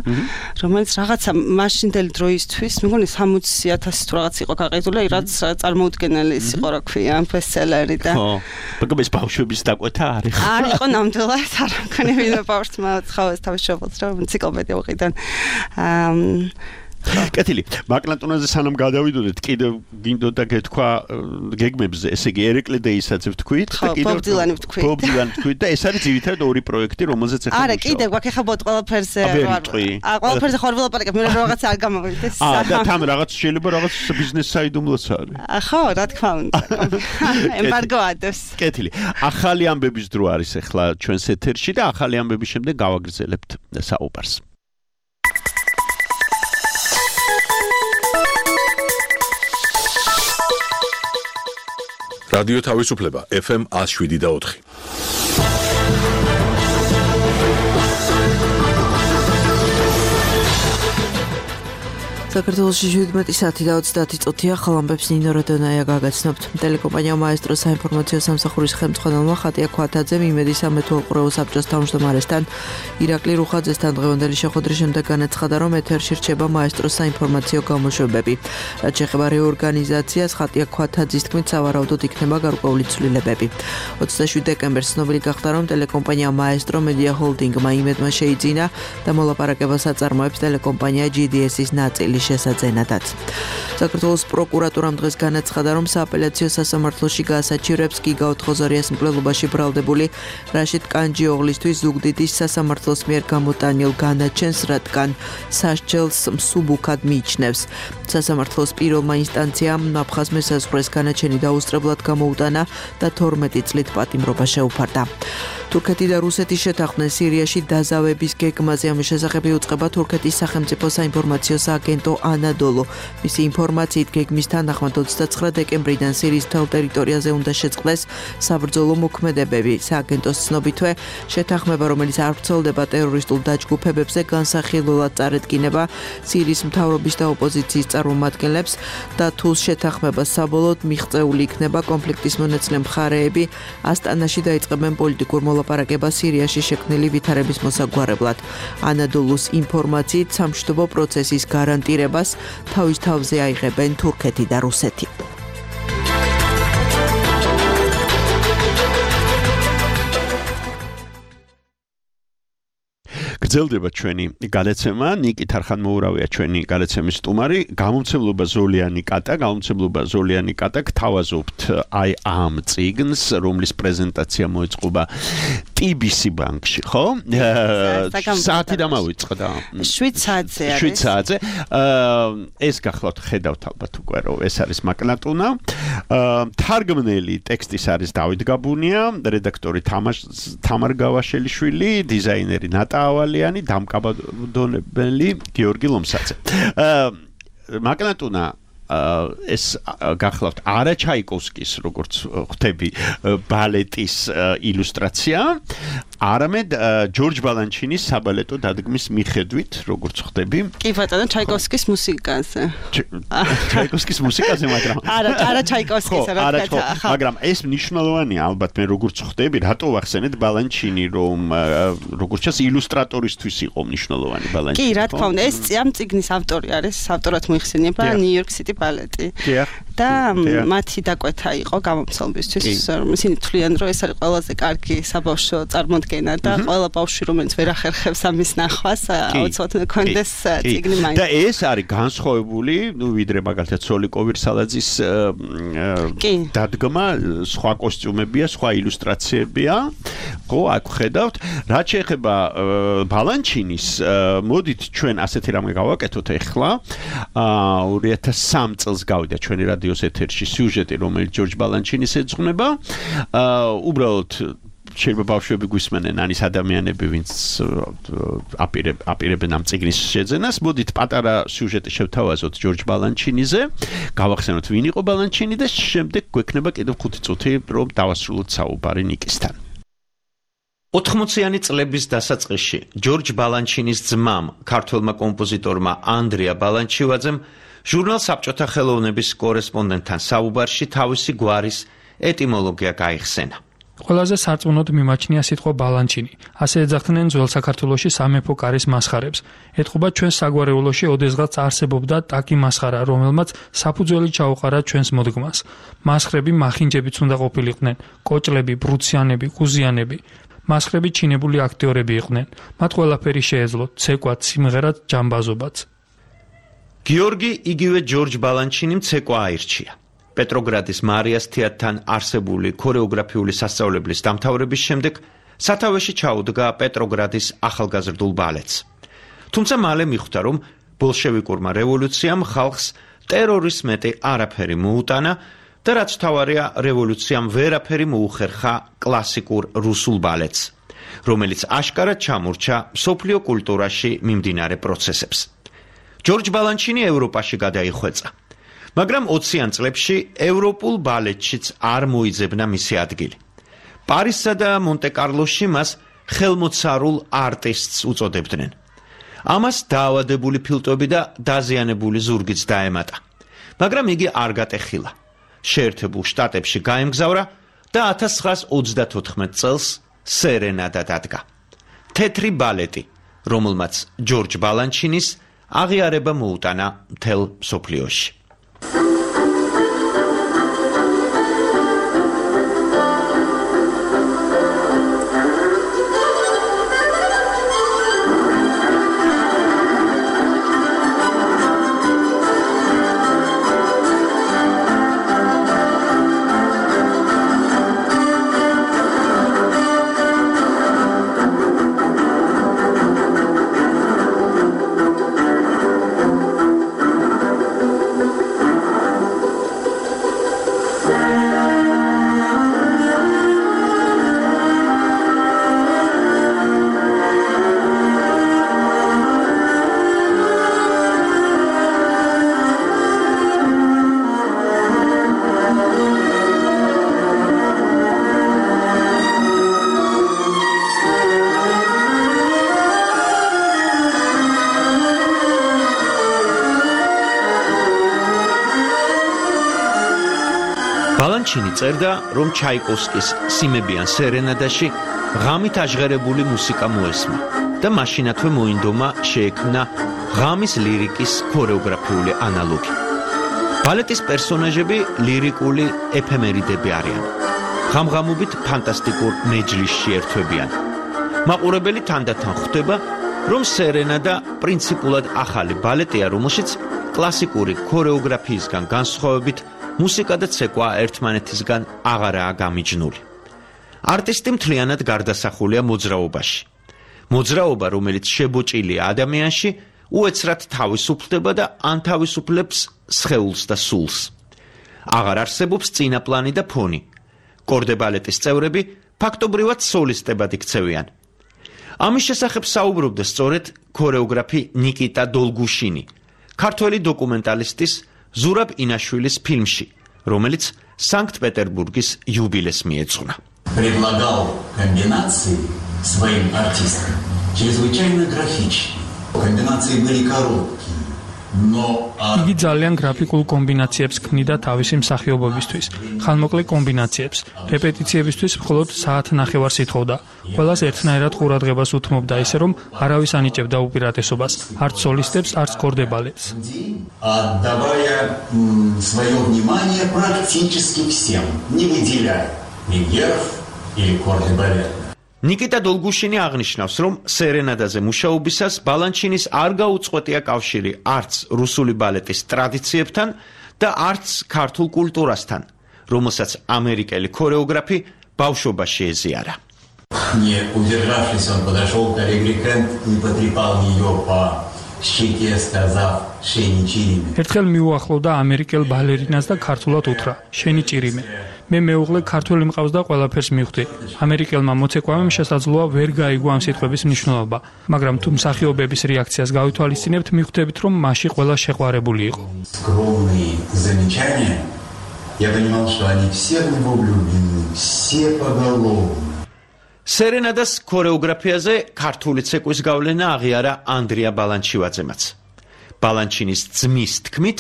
რომელიც რაღაცა მაშინდელი დროისთვის მეგონი 60,000 თუ რაღაც იყო გაყიდული რაც წარმოუდგენელი ის იყო რა ქვია ბესტსელერი და ხო მაგრამ ეს ბავშვების დაკვეთა არის არ იყო ნამდვილად არ მქონი ვინმე ბავშვმა ცხოვეს თავის შობილს რომ ენციკლოპედია უყიდან კეთილი მაკლანტონაზე სანამ გადავიდოდეთ კიდევ გინდოდა გეთქვა გეგმებზე ესე იგი ერეკლედეისაც ვთქვით და კიდევ ბობ დილანი ვთქვით და ეს არის ძირითადად ორი პროექტი რომელზეც ახლა არა კიდევ გვაქვს ახლა ბოთ ყველაფერზე ყველაფერზე ხარ ვილაპარაკებ მე რაღაცა არ გამოვიდეს და თან რაღაც შეიძლება რაღაც ბიზნეს საიდუმლოც არის ხო რა თქმა უნდა ემბარგო ადევს კეთილი ახალი ამბების დრო არის ახლა ჩვენს ეთერში და ახალი ამბების შემდეგ გავაგრძელებთ საუბარს რადიო თავისუფლება FM 107.4. საქართველოში 17 საათი და 30 წუთია ხალამბებს ნინო როდონაია გაგაცნობთ. ტელეკომპანია მაესტრო საინფორმაციო სამსახურის ხელმძღვანელმა ხატია ქვათაძემ იმედი სამეთვალყურეო საბჭოს თავმჯდომარესთან ირაკლი რუხაძესთან დღევანდელი შეხვედრის შემდეგ განაცხადა, რომ ეთერში რჩება მაესტროს საინფორმაციო გამოშვებები. რაც შეეხება რეორგანიზაციას, ხატია ქვათაძის თქმით, სავარაუდოდ იქნება გარკვეული ცვლილებები. 27 დეკემბერს ცნობილი გახდა, რომ ტელეკომპანია მაესტრო მედია ჰოლდინგმა იმედმა შეიძინა და მოლაპარაკებას აწარმოებს ტელეკომპანია GDS-ის ნაწილი შესაძენადაც. საქართველოს პროკურატურამ დღეს განაცხადა, რომ სააპელაციო სასამართლოში გაასაჩივრებს გიგაუთ ხოზარიას მკვლელობაში ბრალდებული რაშიდ კანჯიოღლისთვის ზუგდიდის სასამართლოს მიერ გამოტანილ განაჩენს, რადგან სასჯელს მსუბუქად მიიჩნევს. სასამართლოს პირველმა ინსტანციამ აფხაზ მესაზღვრეს განაჩენი დაუსწრებლად გამოუტანა და 12 წლით პატიმრობა შეუფარდა. თურქეთი და რუსეთი შეთანხმდნენ სირიაში დაზავების გეგმაზე. ამის შესახებ იუწყება თურქეთის სახელმწიფო საინფორმაციო სააგენტო ანადოლუ. მისი ინფორმაციით გეგმის თანახმად 29 დეკემბრიდან სირიის მთელ ტერიტორიაზე უნდა შეწყდეს საბრძოლო მოქმედებები. სააგენტოს ცნობითვე შეთანხმება, რომელიც არ ვრცელდება ტერორისტულ დაჯგუფებებზე, განსახილველად წარედგინება სირიის მთავრობის და ოპოზიციის წარმომადგენლებს და თუ შეთანხმება საბოლოოდ მიღწეული იქნება, კონფლიქტის მონაწილე მხარეები ასტანაში დაიწყებენ პოლიტიკურ მოლაპარაკებას სირიაში შექმნილი ვითარების მოსაგვარებლად. ანადოლუს ინფორმაციით სამშვიდობო პროცესის გარანტირებას თავის თავზე აიღებენ თურქეთი და რუსეთი. გრძელდება ჩვენი გადაცემა. ნიკი თარხანმოურავია ჩვენი გადაცემის სტუმარი. გამომცემლობა ზოლიანი კატა გთავაზობთ აი ამ წიგნს, რომლის პრეზენტაცია მოეწყობა TBC ბანკში, ხო? საათი დამავიწყდა. 7 საათზე არის. 7 საათზე. ეს გახლავთ ხედავთ ალბათ უკვე, რომ ეს არის მაკნატუნა. თარგმნელი ტექსტის არის დავით გაბუნია, რედაქტორი თამარ გავაშელიშვილი, დიზაინერი ნატა ავალიანი, დამკაბადონებელი გიორგი ლომსაძე. მაკნატუნა ეს გახლავთ არა ჩაიკოვსკის, როგორც ხვდები, ბალეტის ილუსტრაცია, არამედ ჯორჯ ბალანჩინის საბალეტო დადგმის მიხედვით, როგორც ხვდები. კი ბატონო, ჩაიკოვსკის მუსიკაზე. ჩაიკოვსკის მუსიკაზე, მაგრამ არა ჩაიკოვსკის, მაგრამ ეს მნიშვნელოვანია, ალბათ მე როგორც ხვდები, რატო ვახსენეთ ბალანჩინი, რომ როგორც ჩანს ილუსტრატორისთვის იყო მნიშვნელოვანი ბალანჩინი. კი, რა თქმა უნდა, ეს ამ წიგნის ავტორი არის, ავტორად მოიხსენიება ნიუ-იორკ სიტი ბალეტი. და მათი დაკვეთა იყო გამომცემლისთვის, ისინი თვლიან, რომ ეს არის ყველაზე კარგი საბავშვო წარმოდგენა და ყველა ბავშვი, რომელიც ვერ ახერხებს ამის ნახვას, აუცილებლად კონდეს წიგნი მაინც. და ეს არის განსხვავებული, ვიდრე მაგალითად სოლიკო ვირსალაძის დადგმა, სხვა კოსტიუმებია, სხვა ილუსტრაციებია. ხო, აქ ხედავთ, რაც შეეხება ბალანჩინის, მოდით ჩვენ ასეთი რამე გავაკეთოთ ახლა. 2003 წელს გავიდა ჩვენი რადიოს ეთერში სიუჟეტი, რომელიც ჯორჯ ბალანჩინის ეძღვნება. უბრალოდ შეიძლება ბავშვები გვისმენენ, ანის ადამიანები, ვინც აპირებენ ამ წიგნის შეძენას. მოდით პატარა სიუჟეტი შევთავაზოთ ჯორჯ ბალანჩინიზე, გავახსენოთ ვინ იყო ბალანჩინი და შემდეგ გვექნება კიდევ 5 წუთი, რომ დავასრულოთ საუბარი ნიკისთან. 80-იანი წლების დასაწყისში ჯორჯ ბალანჩინის ძმამ, ქართველმა კომპოზიტორმა ანდრია ბალანჩივაძემ ჟურნალ საბჭოთა ხელოვნების კორესპონდენტთან საუბარში თავისი გვარის ეტიმოლოგია გაიხსენა. ყველაზე სარწმუნოდ მიმაჩნია სიტყვა ბალანჩინი. ასე ეძახდნენ ძველ საქართველოში სამეფო კარის მასხარებს. ეთყობა ჩვენს საგვარეულოში ოდესღაც არსებობდა ტაკი მასხარა, რომელმაც საფუძველი ჩაუყარა ჩვენს მოდგმას. მასხრები მახინჯებიც უნდა ყოფილიყვნენ, კოჭლები, ბრუციანები, ყუზიანები. მასხრები ჩინებული აქტიორები იყვნენ. მათ ყველაფერი შეეძლოთ, ცეკვაც, სიმღერაც, ჯამბაზობაც. გიორგი იგივე ჯორჯ ბალანჩინიმ ცეკვა აირჩია. პეტროგრადის მარიას თეატრთან არსებული ქორეოგრაფიული სასწავლებლის დამთავრების შემდეგ სათავეში ჩაუდგა პეტროგრადის ახალგაზრდულ ბალეტს. თუმცა მალე მიხვდა, რომ ბოლშევიკურმა რევოლუციამ ხალხს ტერორის მეტი არაფერი მოუტანა და რაც თავარია, რევოლუციამ ვერაფერი მოუხერხა კლასიკურ რუსულ ბალეტს, რომელიც აშკარად ჩამორჩა მსოფლიო კულტურაში მიმდინარე პროცესებს. ჯორჯ ბალანჩინი ევროპაში გადაიხვეწა. მაგრამ 20-იან წლებში ევროპულ ბალეტშიც არ მოიძებნა მისი ადგილი. პარიზსა და მონტე-კარლოში მას ხელმოცარულ არტისტს უწოდებდნენ. ამას დაავადებული ფილტვები და დაზიანებული ზურგიც დაემატა. მაგრამ იგი არ გატეხილა. შეერთებულ შტატებში გაემგზავრა და 1934 წელს სერენადა დადგა. თეთრი ბალეტი, რომელმაც ჯორჯ ბალანჩინის აღიარება მოუტანა მთელ მსოფლიოში. ბალანჩინი წერდა, რომ ჩაიკოვსკის სიმებიან სერენადაში ღამით აჟღერებული მუსიკა მოესმა და მაშინათვე მოინდომა შეექმნა ღამის ლირიკის ქორეოგრაფიული ანალოგი. ბალეტის პერსონაჟები ლირიკული ეფემერიდები არიან. ღამღამობით ფანტასტიკურ მეჯლისში ერთვებიან. მაყურებელი თანდათან ხვდება, რომ სერენადა პრინციპულად ახალი ბალეტია, რომელშიც კლასიკური ქორეოგრაფიისგან განსხვავებით მუსიკა და ცეკვა ერთმანეთისგან აღარაა გამიჯნული. არტისტი მთლიანად გარდასახულია მოძრაობაში. მოძრაობა, რომელიც შებოჭილია ადამიანში, უეცრად თავისუფლდება და ანთავისუფლებს სხეულს და სულს. აღარ არსებობს წინაპლანი და ფონი. კორდებალეტის წევრები ფაქტობრივად სოლისტებად იქცევიან. ამის შესახებ საუბრობდა სწორედ ქორეოგრაფი ნიკიტა დოლგუშინი, ქართველი დოკუმენტალისტის ზურაბ ინაშვილის ფილმში, რომელიც სანქტ-პეტერბურგის юбилес მიეძღვნა. Предлагал комбинации своим артистам чрезвычайно графичные. Комбинации были короткие, но იგი ძალიან გრაფიკულ კომბინაციებს ქმნიდა თავისი მსახიობობისთვის, ხანმოკლე კომბინაციებს, რეპეტიციებისთვის მხოლოდ საათნახევარს ითხოვდა. ყველას ერთნაირად ყურადღებას უთმობდა ისე, რომ არავის ანიჭებდა უპირატესობას, არც სოლისტებს, არც კორდებალეტს. отдавая свое внимание практически всем, не выделяя лидеров или кордебалет. ნიკიტა დოლგუშინი აღნიშნავს, რომ სერენადაზე მუშაობისას ბალანჩინის არ გაუწყვეტია კავშირი არც რუსული ბალეტის ტრადიციებთან და არც ქართულ კულტურასთან, რომელსაც ამერიკელი ქორეოგრაფი ბავშვობაში ეზიარა. Не удержавшись, он подошел к Аллегрикент и потрепал ее по щеке, сказав: "Шени чириме". ერთხელ მიუახლოვდა ამერიკელ ბალერინას და ქართულად უთხრა: "შენი ჭირიმე". მე მეუღლე ქართველი მყავს და ყველაფერს მივხვდი. ამერიკელმა მოცეკვავემ შესაძლოა ვერ გაიგო ამ სიტყვების მნიშვნელობა, მაგრამ თუ მსახიობების რეაქციას გავითვალისწინებთ, მივხვდებით, რომ მასში ყველა შეყვარებული იყო. Скромные замечания. Я понимал, что они все в него влюблены, все поголовно. სერენადას ქორეოგრაფიაზე ქართული ცეკვის გავლენა აღიარა ანდრია ბალანჩივაძემაც. ბალანჩინის ძმის თქმით,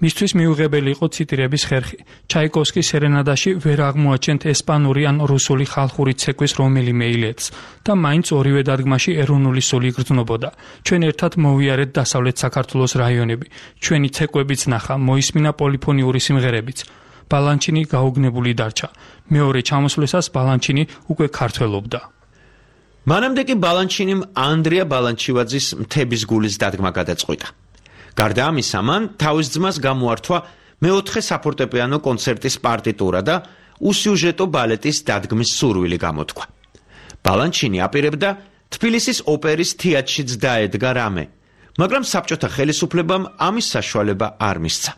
მისთვის მიუღებელი იყო ციტირების ხერხი. ჩაიკოვსკის სერენადაში ვერ აღმოაჩენთ ესპანური ან რუსული ხალხური ცეკვის რომელიმე ილეთს და მაინც ორივე დადგმაში ეროვნული სული იგრძნობოდა. ჩვენ ერთად მოვიარეთ დასავლეთ საქართველოს რაიონები. ჩვენი ცეკვებიც ნახა, მოისმინა პოლიფონიური სიმღერებიც. ბალანჩინი გაუგნებული დარჩა. მეორე ჩამოსვლისას ბალანჩინი უკვე ქართველობდა. მანამდე კი ბალანჩინიმ ანდრია ბალანჩივაძის მთების გულის დადგმა გადაწყვიტა. გარდა ამისა, მან თავის ძმას გამოართვა მეოთხე საფორტეპიანო კონცერტის პარტიტურა და უსიუჟეტო ბალეტის დადგმის სურვილი გამოთქვა. ბალანჩინი აპირებდა თბილისის ოპერის თეატრშიც დაედგა რამე, მაგრამ საბჭოთა ხელისუფლებამ ამის საშუალება არ მისცა.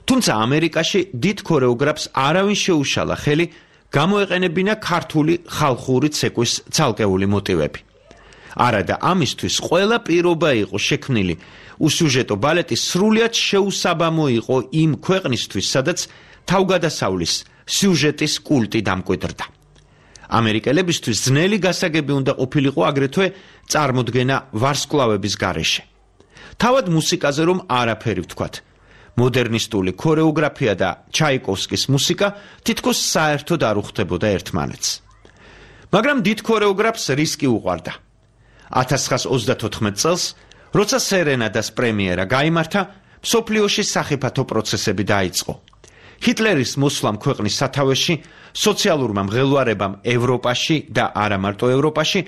თუმცა ამერიკაში დიდ ქორეოგრაფს არავინ შეუშალა ხელი გამოეყენებინა ქართული ხალხური ცეკვის ცალკეული მოტივები. არადა ამისთვის ყველა პირობა იყო შექმნილი უსიუჟეტო ბალეტი სრულიად შეუსაბამო იყო იმ ქვეყნისთვის, სადაც თავგადასავლის სიუჟეტის კულტი დამკვიდრდა. ამერიკელებისთვის ძნელი გასაგები უნდა ყოფილიყო აგრეთვე წარმოდგენა ვარსკვლავების გარეშე. თავად მუსიკაზე რომ არაფერი ვთქვათ. მოდერნისტული ქორეოგრაფია და ჩაიკოვსკის მუსიკა თითქოს საერთოდ არ უხდებოდა ერთმანეთს. მაგრამ დიდ ქორეოგრაფს რისკი უყვარდა. 1934 წელს, როცა სერენადას პრემიერა გაიმართა, მსოფლიოში სახიფათო პროცესები დაიწყო. ჰიტლერის მოსვლამ ქვეყნის სათავეში, სოციალურმა მღელვარებამ ევროპაში და არა მარტო ევროპაში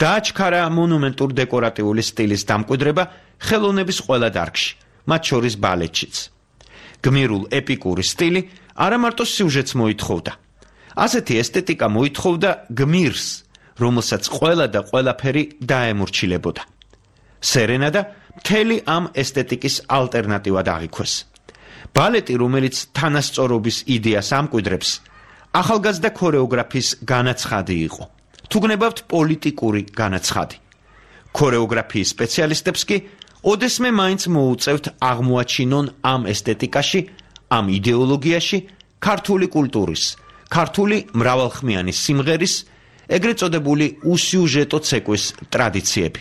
დააჩქარა მონუმენტურ დეკორატიული სტილის დამკვიდრება ხელოვნების ყველა დარგში, მათ შორის ბალეტშიც. გმირულ ეპიკური სტილი არა მარტო სიუჟეტს მოითხოვდა. ასეთი ესთეტიკა მოითხოვდა გმირს, რომელსაც ყველა და ყველაფერი დაემორჩილებოდა. სერენადა მთელი ამ ესთეტიკის ალტერნატივად აღიქვეს. ბალეტი, რომელიც თანასწორობის იდეას ამკვიდრებს, ახალგაზრდა ქორეოგრაფის განაცხადი იყო. თუ გნებავთ პოლიტიკური განაცხადი. ქორეოგრაფიის სპეციალისტებს კი ოდესმე მაინც მოუწევთ აღმოაჩინონ ამ ესთეტიკაში, ამ იდეოლოგიაში ქართული კულტურის, ქართული მრავალხმიანი სიმღერის, ეგრეთ წოდებული უსიუჟეტო ცეკვის ტრადიციები.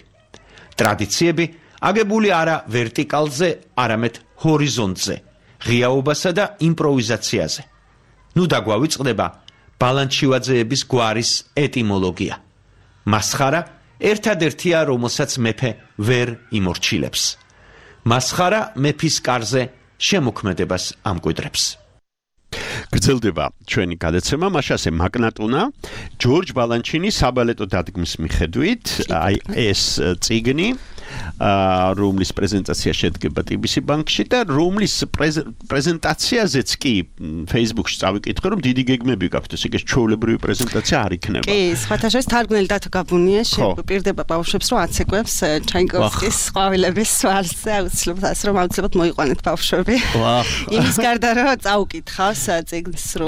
ტრადიციები აგებული არა ვერტიკალზე, არამედ ჰორიზონტზე, ღიაობასა და იმპროვიზაციაზე. ნუ დაგვავიწყდება ბალანჩივაძეების გვარის ეტიმოლოგია. მასხარა ერთადერთია, რომელსაც მეფე ვერ იმორჩილებს. მასხარა მეფის კარზე შემოქმედებას ამკვიდრებს. გრძელდება ჩვენი გადაცემა, მაშასე მაგნატუნა, ჯორჯ ბალანჩინი საბალეტო დადგმის მიხედვით, აი ეს წიგნი, რომლის პრეზენტაცია შედგება TBC ბანკში და რომლის პრეზენტაციაზეც კი Facebook-ში წავიკითხე, რომ დიდი გეგმები გაქვთ, ესე იგი ჩვეულებრივი პრეზენტაცია არ იქნება. კი, სხვათა შორის თარგმნელი დათო გაბუნია შეპირდება ბავშვებს, რომ აცეკვებს ჩაიკოვსკის ყვავილების სვალზე, აუცილებლად მოიყვანეთ ბავშვები. იმის გარდა რომ წაუკითხავს წიგნს რომ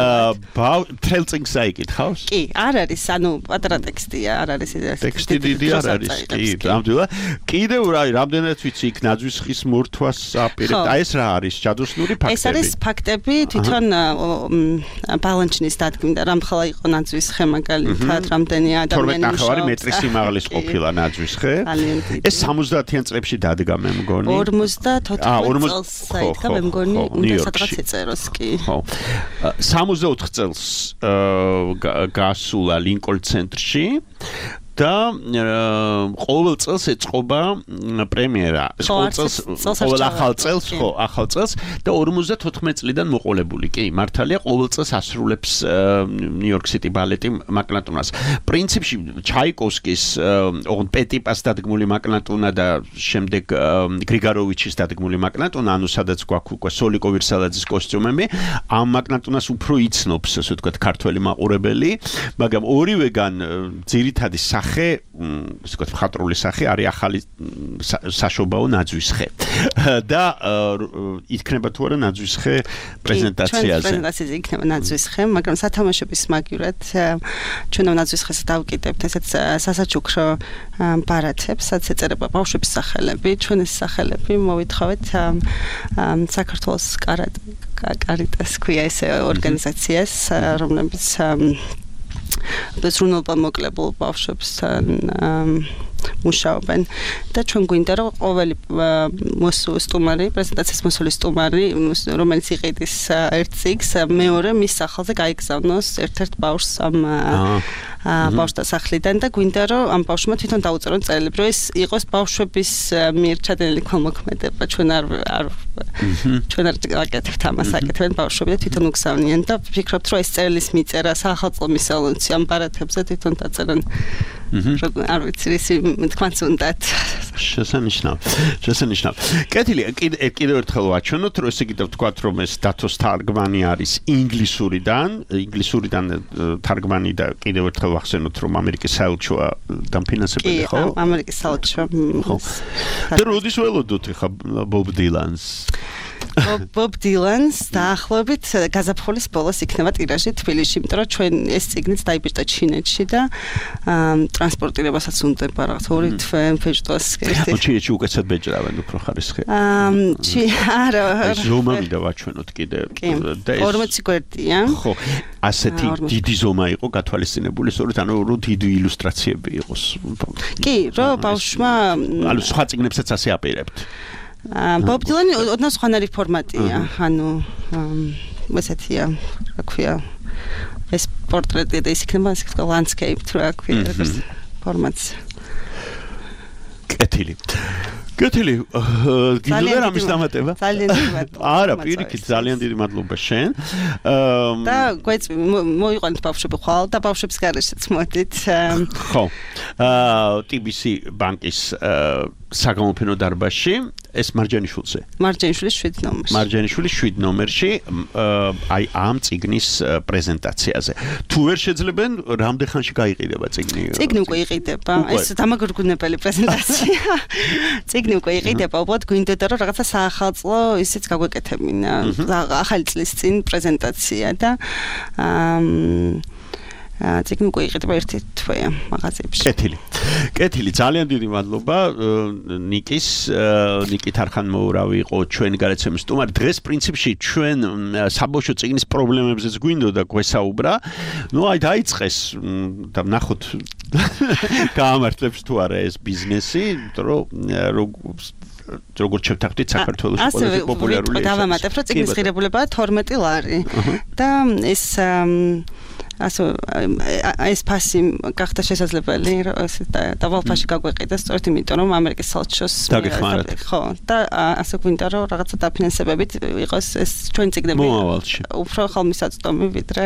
მთელ წიგნს აიკითხავს? კი, არ არის, ანუ პატარა ტექსტია, არ არის ტექსტი დიდი არ არის, კი, ნამდვილად. კიდევ რამდენად ვიცი იქ ნაძვისხის მორთვას აპირებთ. აი ეს რა არის? ჯადოსნური ფაქტები? ეს არის ფაქტები, თვითონ ბალანჩინის დადგმიდან რამხელა იყო ნაძვისხე მაგალითად, რამდენი ადამიანი მუშაობს. 12 მეტრის სიმაღლის ყოფილა ნაძვისხე. ეს 70-იან წლებში დადგა მე მგონი. 54 წელს საერთოდ მე მგონი უნდა სადღაც ეწეროს კი. 64 წელს გასულა ლინკოლნ ცენტრში და ყოველ წელს ეწყობა პრემიერა. ყოველ ახალ წელს და 54 წლიდან მოყოლებული. კი, მართალია, ყოველ წელს ასრულებს ნიუ-იორკ სიტი ბალეტი მაგნატუნას. პრინციპში ჩაიკოვსკის, ოღონდ პეტიპას დადგმული მაგნატუნა და შემდეგ გრიგაროვიჩის დადგმული მაგნატუნა, ანუ სადაც გვაქვს უკვე სოლიკო ვირსალაძის კოსტიუმები, ამ მაგნატუნას უფრო იცნობს, ასე ვთქვათ, ქართველი მაყურებელი, მაგრამ ორივეგან ძირითადი სახე, ასე ვთქვათ, მხატვრული სახე არის ახალი საშობაო ნაძვისხე. და იქნება თუ არა ნაძვისხე პრეზენტაციაზე. პრეზენტაციაზე იქნება ნაძვისხე, მაგრამ სათამაშოების მაგივრად ჩვენ ნაძვისხეს დავკიდებთ ესეც სასაჩუქრო ბარათებს, სადაც ეწერება ბავშვების სახელები, ჩვენს სახელები მოვითხოვეთ საქართველოს კარიტას ქვია ეს ორგანიზაციას, რომლებიც ზრუნველობა მოკლებულ ბავშვებთან მუშაობენ და ჩვენ გვინდა რომ ყოველი სტუმარი, პრეზენტაციის მოსული სტუმარი, რომელიც იყიდის ერთ წიგნს, მეორე მის სახელზე გაიგზავნოს ერთ-ერთ ბავშვს ამ ბავშვთა სახლიდან და გვინდა რომ ამ ბავშვმა თვითონ დაუწერონ წერილები, რომ ეს იყოს ბავშვების მიერ ჩადენილი ქველმოქმედება, ჩვენ არ აკეთებთ ამას, აკეთებენ ბავშვები და თვითონ უგზავნიან და ვფიქრობთ რომ ეს წერილის მიწერა სახელმწიფო მისალონცი ამ ბარათებზე თვითონ დაწერენ. არ ვიცი ისი თქვენც უნდათ. შესანიშნავ. კეთილი, კიდევ ერთხელ ვაჩვენოთ, რომ ესე იგი ვთქვათ, რომ ეს დათოს თარგმანი არის ინგლისურიდან თარგმანი და კიდევ ერთხელ ვახსენოთ, რომ ამერიკის საელჩოა დამფინანსებელი, ხო? ამერიკის საელჩო. და როდის ველოდოთ ხა ბობ დილანს? Bob Dylan-ს დაახლოებით გაზაფხულის ბოლოს იქნება ტირაჟი თბილისში, იმიტომ რომ ჩვენ ეს წიგნიც დაიბეჭდა ჩინეთში და ტრანსპორტირებასაც უნდება რაღაც 2 თვე ფეჭდოს. ჩინეთში უკეთესად ბეჭდავენ უფრო ხარისხი. არა. ეს ზომა მინდა ვაჩვენოთ კიდე. და 40 გვერდია. ხო, ასეთი დიდი ზომა იყო გათვალისწინებული, სწორედ ანუ რომ დიდი ილუსტრაციები იყოს. კი, რომ ბავშვმა ანუ სხვა წიგნებსაც ასე აპირებთ. Bob Dylan ოდნავ სხვანაირი ფორმატია, ანუ ესეთია, რა ქვია, ეს პორტრეტი და ის იქნება ასე ვთქვა landscape, რა ქვია, ეს ფორმატი. კეთილი, გინდა ამის დამატება? ძალიან დიდი მადლობა. არა, პირიქით, ძალიან დიდი მადლობა შენ. და გვეწვი მოიყვანეთ ბავშვები ხვალ და ბავშვებს გარეშეც მოდით. ხო. TBC ბანკის საგამოფენო დარბაზში ეს მარჯანიშვილზე. მარჯანიშვილის 7 ნომერში. მარჯანიშვილის 7 ნომერში აი ამ წიგნის პრეზენტაციაზე. თუ ვერ შეძლებენ, რამდენ ხანში გაიყიდება წიგნი? წიგნი უკვე იყიდება. ეს დამაგრგუნებელი პრეზენტაცია. წიგნი უკვე იყიდება, უბრალოდ გვინდოდა რომ რაღაცა საახალწლო ისიც გაგვეკეთებინა. ახალი წლის წინ პრეზენტაცია და წიგნი უკვე იყიდება 1 თვეა მაღაზიებში. კეთილი, ძალიან დიდი მადლობა ნიკით არხანმოურავი იყო ჩვენი გადაცემის სტუმარი. დღეს პრინციპში ჩვენ საბავშვო წიგნის პრობლემებზეც გვინდოდა გვესაუბრა. ნუ აი დაიწყეს და ნახოთ გაამართლებს თუ არა ეს ბიზნესი, როგორც შევთანხმდით საქართველოს ყველაზე პოპულარული. ასე დავამატებ, რომ წიგნის ღირებულებაა 12 ლარი და ეს ეს ფასი გახდა შესაძლებელი, რომ დავალფაში გაგვეყიდა, სწორედ იმიტომ, რომ ამერიკის საელჩოს ხო, და ასე გვინდა, რომ რაღაცა დაფინანსებებით იყოს ეს ჩვენი წიგნები უფრო ხალმისაწვდომი ვიდრე.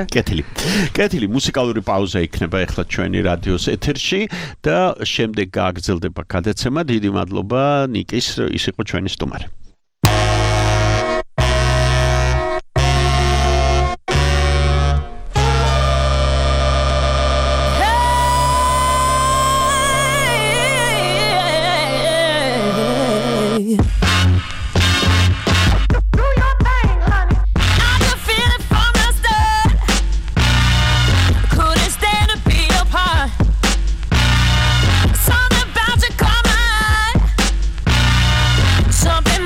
კეთილი, მუსიკალური პაუზა იქნება ახლა ჩვენი რადიოს ეთერში და შემდეგ გააგრძელდება გადაცემა. დიდი მადლობა ნიკის, ის იყო ჩვენი სტუმარი. Something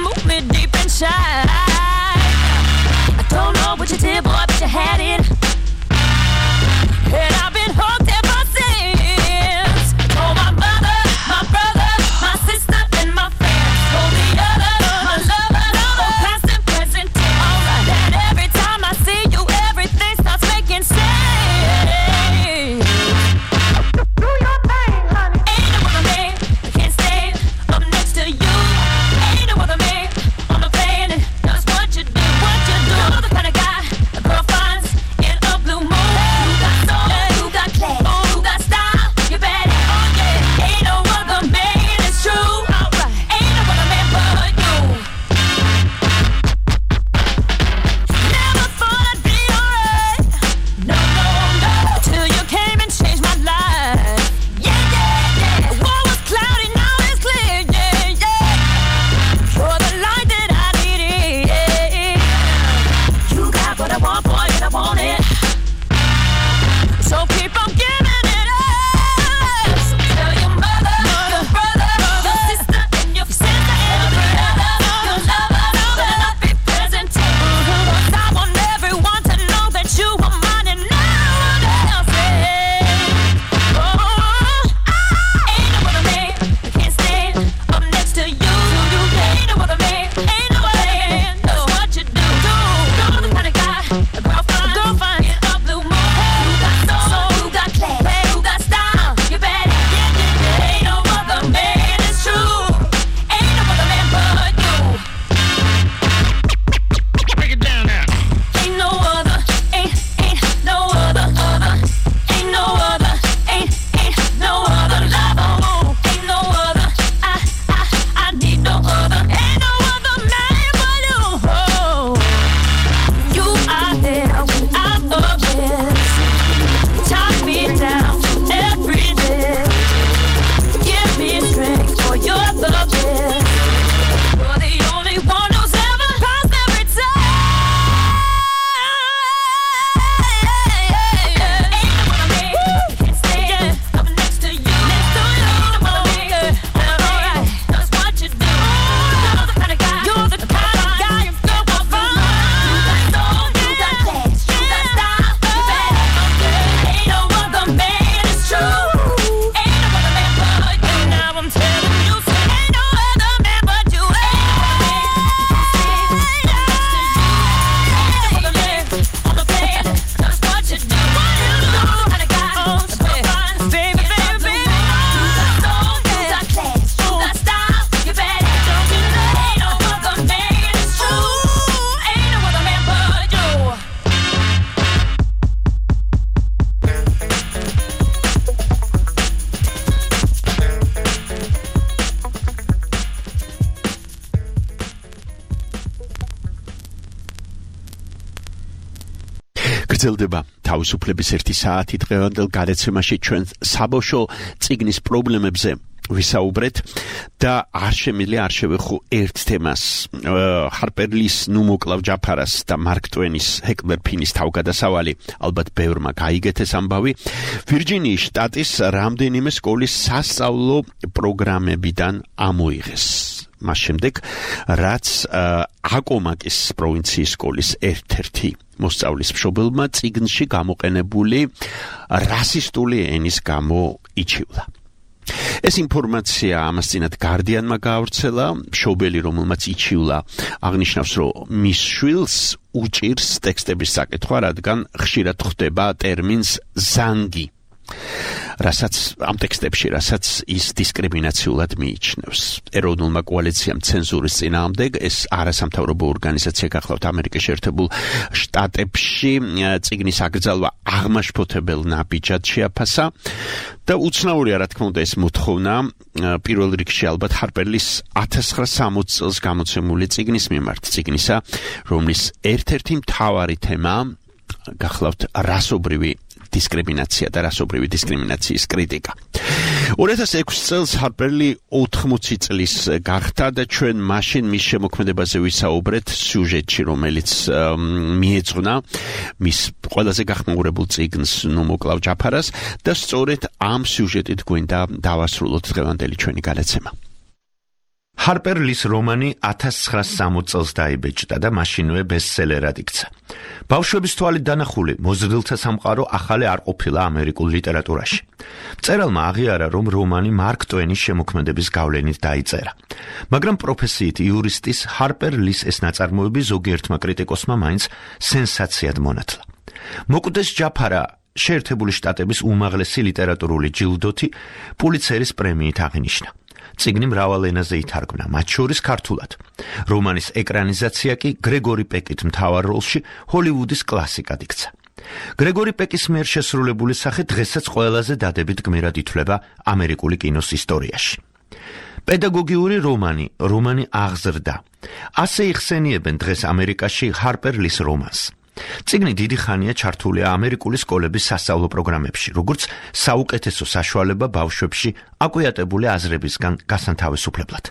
გრძელდება თავისუფლების 1 საათი დღევანდელ გადაცემაში ჩვენ საბავშვო წიგნის პრობლემებზე ვისაუბრეთ და არ შემიძლია არ შევეხო ერთ თემას ჰარპერ ლის ნუმოკლავ ჯაფარას და მარკ ტვენის ჰეკლერ ფინის თავგადასავალი ალბათ ბევრმა გაიგეთ ეს ამბავი ვირჯინიის შტატის რამდენიმე სკოლის სასწავლო პროგრამებიდან ამოიღეს მას შემდეგ რაც აკომაკის პროვინციის სკოლის ერთ-ერთი მოსწავლის მშობელმა წიგნში გამოყენებული რასისტული ენის გამო იჩივლა ეს ინფორმაცია ამას წინათ Guardian-მა გაავრცელა, მშობელი რომელმაც იჩივლა აღნიშნავს, რომ მის შვილს უჭირს ტექსტების საკითხვა, რადგან ხშირად ხვდება ტერმინს ზანგი. რასაც ამ ტექსტებში, რასაც ის დისკრიმინაციულად მიიჩნევს. ეროვნულმა კოალიციამ ცენზურის წინააღმდეგ ეს არასამთავრობო ორგანიზაცია გახლავთ ამერიკის შეერთებულ შტატებში წიგნის აკრძალვა აღმაშფოთებელ ნაბიჯად შეაფასა და უცნაურია რა თქმა უნდა ეს მოთხოვნა პირველ რიგში ალბათ ჰარპერლის 1960 წელს გამოცემული წიგნის მიმართ წიგნისა რომლის ერთ-ერთი მთავარი თემა გახლავთ რასობრივი დისკრიმინაცია და რასობრივი დისკრიმინაციის კრიტიკა. 2006 წელს ჰარპერლი 80 წლის გახდა და ჩვენ მაშინ მის შემოქმედებაზე ვისაუბრეთ სიუჟეტში, რომელიც მიეძღვნა მის ყველაზე გახმაურებულ წიგნს ნუმოკლავ ჯაფარას და სწორედ ამ სიუჟეტით გვინდა დავასრულოთ დღევანდელი ჩვენი გადაცემა. ჰარპერ ლის რომანი 1960 წელს დაიბეჭდა და მაშინვე ბესტსელერად იქცა. ბავშვების თვალით დანახული მოზრდილთა სამყარო ახალი არ ყოფილა ამერიკულ ლიტერატურაში. მწერალმა აღიარა, რომ რომანი მარკ ტვენის შემოქმედების გავლენით დაიწერა. მაგრამ პროფესიით იურისტის ჰარპერ ლის ეს ნაწარმოები ზოგიერთმა კრიტიკოსმა მაინც სენსაციად მონათლა. მოკვდეს ჯაფარა შეერთებული შტატების უმაღლესი ლიტერატურული ჯილდოთი პულიცერის პრემიით აღინიშნა. წიგნი მრავალ ენაზე ითარგმნა, მათ შორის ქართულად. რომანის ეკრანიზაცია კი გრეგორი პეკით მთავარ როლში ჰოლივუდის კლასიკად იქცა. გრეგორი პეკის მიერ შესრულებული სახე დღესაც ყველაზე დადებით გმირად ითვლება ამერიკული კინოს ისტორიაში. პედაგოგიური რომანი აღზრდა. ასე იხსენიებენ დღეს ამერიკაში ჰარპერ ლის რომანს. წიგნი დიდი ხანია ჩართულია ამერიკული სკოლების სასწავლო პროგრამებში, როგორც საუკეთესო საშუალება ბავშვებში აკვიატებული აზრებისგან გასანთავისუფლებლად.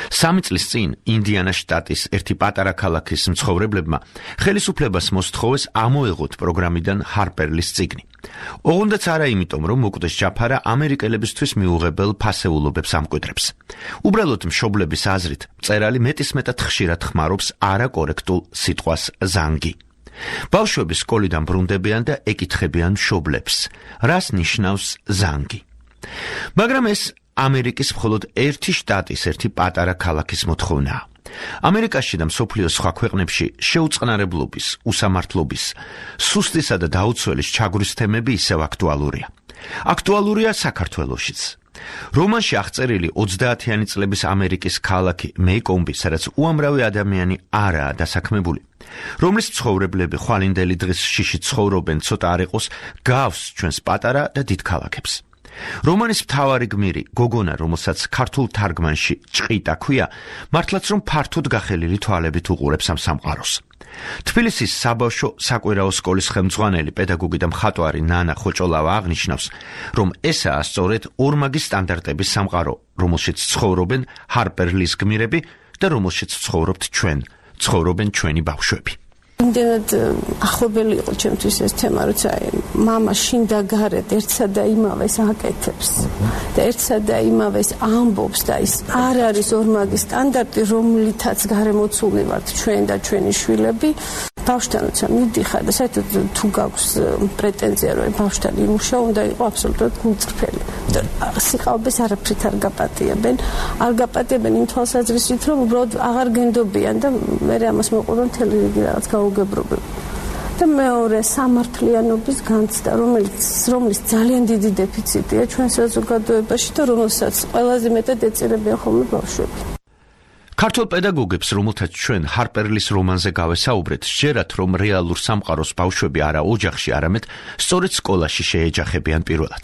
3 წლის წინ ინდიანას შტატის ერთი პატარა ქალაქის მცხოვრებლებმა ხელისუფლებას მოსთხოვეს ამოეღოთ პროგრამიდან ჰარპერ ლის წიგნი. ოღონდაც არა იმიტომ, რომ მოკვდეს ჯაფარა ამერიკელებისთვის მიუღებელ ფასეულობებს ამკვიდრებს. უბრალოდ მშობლების აზრით, მწერალი მეტისმეტად ხშირად ხმარობს არაკორექტულ სიტყვას ზანგი. ბავშვები სკოლიდან ბრუნდებიან და ეკითხებიან მშობლებს, რას ნიშნავს ზანგი. მაგრამ ეს ამერიკის მხოლოდ ერთი შტატის, ერთი პატარა ქალაქის მოთხოვნაა. ამერიკაში და მსოფლიოს სხვა ქვეყნებში შეუწყნარებლობის, უსამართლობის, სუსტისა და დაუცველის ჩაგვრის თემები ისევ აქტუალურია. აქტუალურია საქართველოშიც. რომანში აღწერილი 30-იანი წლების ამერიკის ქალაქი მეიკომბი, სადაც უამრავი ადამიანი არაა დასაქმებული, რომლის მცხოვრებლები ხვალინდელი დღის შიში ცხოვრობენ, ცოტა არ იყოს, გავს ჩვენს პატარა და დიდ ქალაქებს. რომანის მთავარი გმირი, გოგონა, რომელსაც ქართულ თარგმანში ჭყიტა ქვია, მართლაც რომ ფართოდ გახელილი თვალებით უყურებს ამ სამყაროს. თბილისის საბავშვო საკვირაო სკოლის ხელმძღვანელი პედაგოგი და მხატვარი ნანა ხოჭოლავა აღნიშნავს, რომ ესაა სწორედ ორმაგი სტანდარტების სამყარო, რომელშიც ცხოვრობენ ჰარპერ ლის გმირები და რომელშიც ცხოვრობთ ჩვენ, ცხოვრობენ ჩვენი ბავშვები. იმდენად ახლობელი იყო ჩემთვის ეს თემა, როცა მამა შინდა გარეთ ერთსა და იმავეს აკეთებს და ერთსა და იმავეს ამბობს და ის არ არის ორმაგი სტანდარტი, რომლითაც გარემოცულნი ვართ ჩვენ და ჩვენი შვილები. ბავშვთან როცა მიდიხარ და საერთოდ თუ გაქვს პრეტენზია, რომ ბავშვთან იმუშაო, უნდა იყო აბსოლუტურად გულწრფელი. სიყალბეს არაფრით არ გაპატიებენ იმ თვალსაზრისით, რომ უბრალოდ აღარ გენდობიან და მე ამას მოყვა მთელი რიგი რაღაც გაუგებრობები. და მეორე სამართლიანობის განცდა, რომლის ძალიან დიდი დეფიციტია ჩვენ საზოგადოებაში და რომელსაც ყველაზე მეტად ეწირებიან ხოლმე ბავშვები. ქართულ პედაგოგებს, რომელთაც ჩვენ ჰარპერლის რომანზე გავესაუბრეთ, სჯერათ, რომ რეალურ სამყაროს ბავშვები არა ოჯახში, არამედ სწორედ სკოლაში შეეჯახებიან პირველად.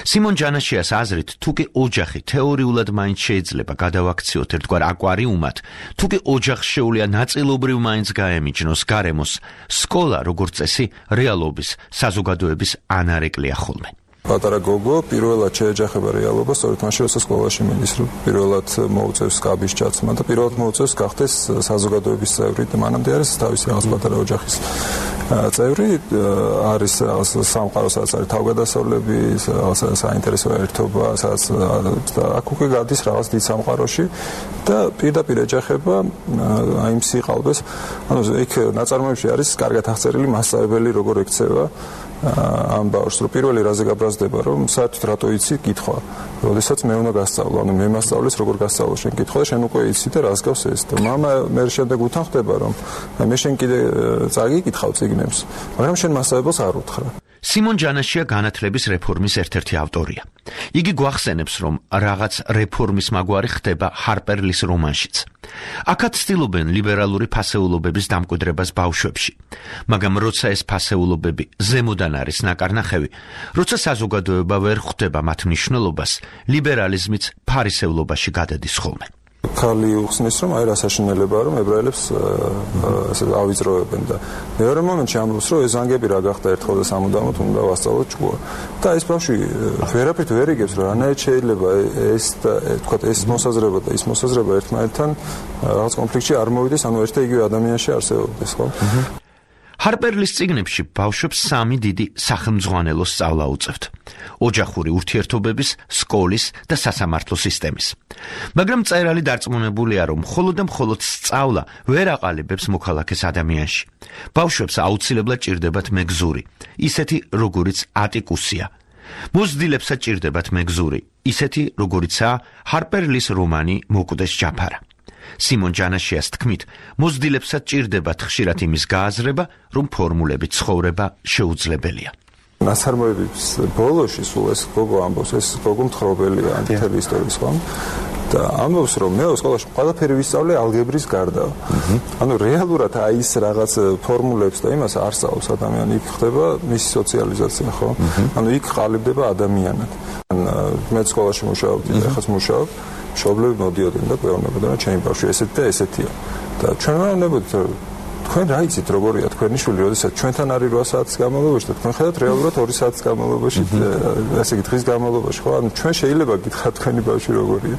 სიმონ ჯანაშიას აზრით, თუკი ოჯახი თეორიულად მაინც შეიძლება გადავაქციოთ ერთგვარ აკვარიუმად, თუკი ოჯახს შეუძლია ნაწილობრივ მაინც გაემიჯნოს გარემოს, სკოლა, როგორც წესი, რეალობის, საზოგადოების ანარეკლია ხოლმე. პატარა გოგო პირველად შეეჯახება რეალობას, სწორედ მაშინ როცა სკოლაში მიდის, რომ პირველად მოუწევს კაბის ჩაცმა და პირველად მოუწევს გახდეს საზოგადოების წევრი და მანამდე არის თავისი რაღაც პატარა ოჯახის წევრი, არის რაღაც სამყარო, სადაც არის თავგადასავლები, რაღაც საინტერესო ერთობა, სადაც აქ უკვე გადის რაღაც დიდ სამყაროში და პირდაპირ ეჯახება აი იმ სიყალბეს. ანუ იქ ნაწარმოებში არის კარგად აღწერილი მასწავლებელი როგორ ექცევა ამ ბავშვს, რომ პირველი რაზე გაბრაზდება, რომ საერთოდ რატო იცი კითხვა. როდესაც მე უნდა გასწავლო, ანუ მე მასწავლის როგორ გასწავლო შენ კითხვა და შენ უკვე იცი და რას გავს ეს. და მამა მე შემდეგ უთანხდება, რომ მე შენ კიდე წაგიკითხავ წიგნებს, მაგრამ შენ მასწავლებელს არ უთხრა. სიმონ ჯანაშია განათლების რეფორმის ერთ-ერთი ავტორია. იგი გვახსენებს, რომ რაღაც რეფორმის მაგვარი ხდება ჰარპერლის რომანშიც. აქაც ცდილობენ ლიბერალური ფასეულობების დამკვიდრებას ბავშვებში. მაგრამ როცა ეს ფასეულობები ზემოდან არის ნაკარნახევი, როცა საზოგადოება ვერ ხვდება მათ მნიშვნელობას, ლიბერალიზმიც ფარისევლობაში გადადის ხოლმე. ქალი უხსნის, რომ აი რა საშინელებაა, რომ ებრაელებს ავიწროებენ და მეორე მომენტში ამბობს, რომ ეს ზანგები რა გახდა ერთხელ და სამუდამოდ უნდა ვასწავლოთ ჭკუა. და ეს ბავშვი ვერაფრით ვერ იგებს, რომ რანაირად შეიძლება ეს და თქვა ეს მოსაზრება და ის მოსაზრება ერთმანეთთან რაღაც კონფლიქტში არ მოვიდეს, ანუ ერთ და იგივე ადამიანში არსებობდეს, ხო? ჰარპერლის წიგნებში ბავშვებს სამი დიდი სახელმძღვანელო სწავლა უწევთ: ოჯახური ურთიერთობების, სკოლის და სასამართლო სისტემის. მაგრამ მწერალი დარწმუნებულია, რომ მხოლოდ და მხოლოდ სწავლა ვერ აყალიბებს მოქალაქეს ადამიანში. ბავშვებს აუცილებლად ჭირდებათ მეგზური, ისეთი როგორიც ატიკუსია. მოზრდილებსაც ჭირდებათ მეგზური, ისეთი როგორიცაა ჰარპერლის რომანი მოკვდეს ჯაფარა. სიმონ ჯანაშიას თქმით, მოზრდილებსაც ჭირდებათ ხშირად იმის გააზრება, რომ ფორმულები ცხოვრება შეუძლებელია. ნაწარმოების ბოლოში სულ ეს გოგო ამბობს, ეს გოგო მთხრობელია მთელი ისტორიის, ხო? და ამბობს, რომ მე სკოლაში ყველაფერი ვისწავლე ალგებრის გარდა. ანუ რეალურად აი ის რაღაც ფორმულებს და იმას არ სწავლობს ადამიანი, იქ ხდება მისი სოციალიზაცია, ხო? ანუ იქ ყალიბდება ადამიანად. მე სკოლაში მუშაობდი, ეხლა მუშაობ, მშობლები მოდიოდნენ და გვეუბნებოდნენ, რომ ჩემი ბავშვი ესეთი და ესეთია. და ჩვენ ვეუბნებოდით, რომ თქვენ რა იცით როგორია თქვენი შვილი, როდესაც ჩვენთან არის 8 საათის განმავლობაში და თქვენ ხედავთ რეალურად 2 საათის განმავლობაში, ესე იგი დღის განმავლობაში, ხო? ანუ ჩვენ შეიძლება გითხრათ თქვენი ბავშვი როგორია.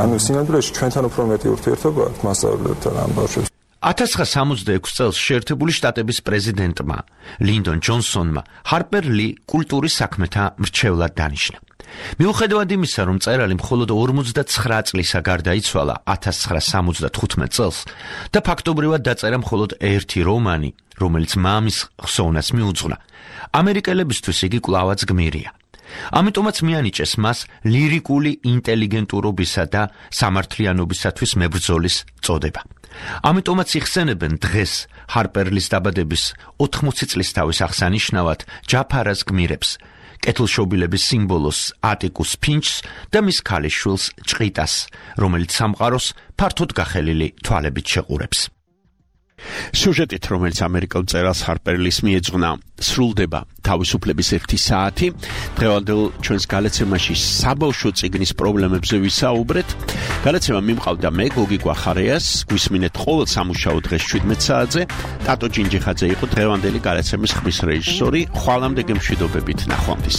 ანუ სინამდვილეში ჩვენთან უფრო მეტი ურთიერთობა აქვს მასწავლებელთან ამ ბავშვებს. 1966 წელს შეერთებული შტატების პრეზიდენტმა ლინდონ ჯონსონმა ჰარპერ ლი კულტურის საქმეთა მრჩევლად დანიშნა. მიუხედავად იმისა, რომ მწერალი მხოლოდ 49 წლისა გარდაიცვალა 1975 წელს და ფაქტობრივად დაწერა მხოლოდ ერთი რომანი, რომელიც მამის ხსოვნას მიუძღვნა, ამერიკელებისთვის იგი კვლავაც გმირია. ამიტომაც მიანიჭეს მას ლირიკული ინტელიგენტურობისა და სამართლიანობისათვის მებრძოლის წოდება. ამიტომაც იხსენებენ დღეს ჰარპერლის დაბადების 80 წლისთავის აღსანიშნავად ჯაფარას გმირებს, კეთილშობილების სიმბოლოს ატიკუს ფინჩს და მის ქალიშვილს ჭყიტას, რომელიც სამყაროს ფართოდ გახელილი თვალებით შეყურებს. სიუჟეტით, რომელიც ამერიკელ მწერალს ჰარპერლის მიეძღვნა, სრულდება თავისუფლების 1 საათი. დღევანდელ ჩვენს გალაცემაში საბავშვო წიგნის პრობლემებზე ვისაუბრეთ. გალაცემა მიმყავდა მე, გოგი გვახარეას, გვისმინეთ ყოველ სამუშაო დღეს 17 საათზე. ტატო ჯინჯიხაძე იყო დღევანდელი გალაცემის ხმის რეჟისორი. ხვალამდე გემშვიდობებით, ნახვამდის.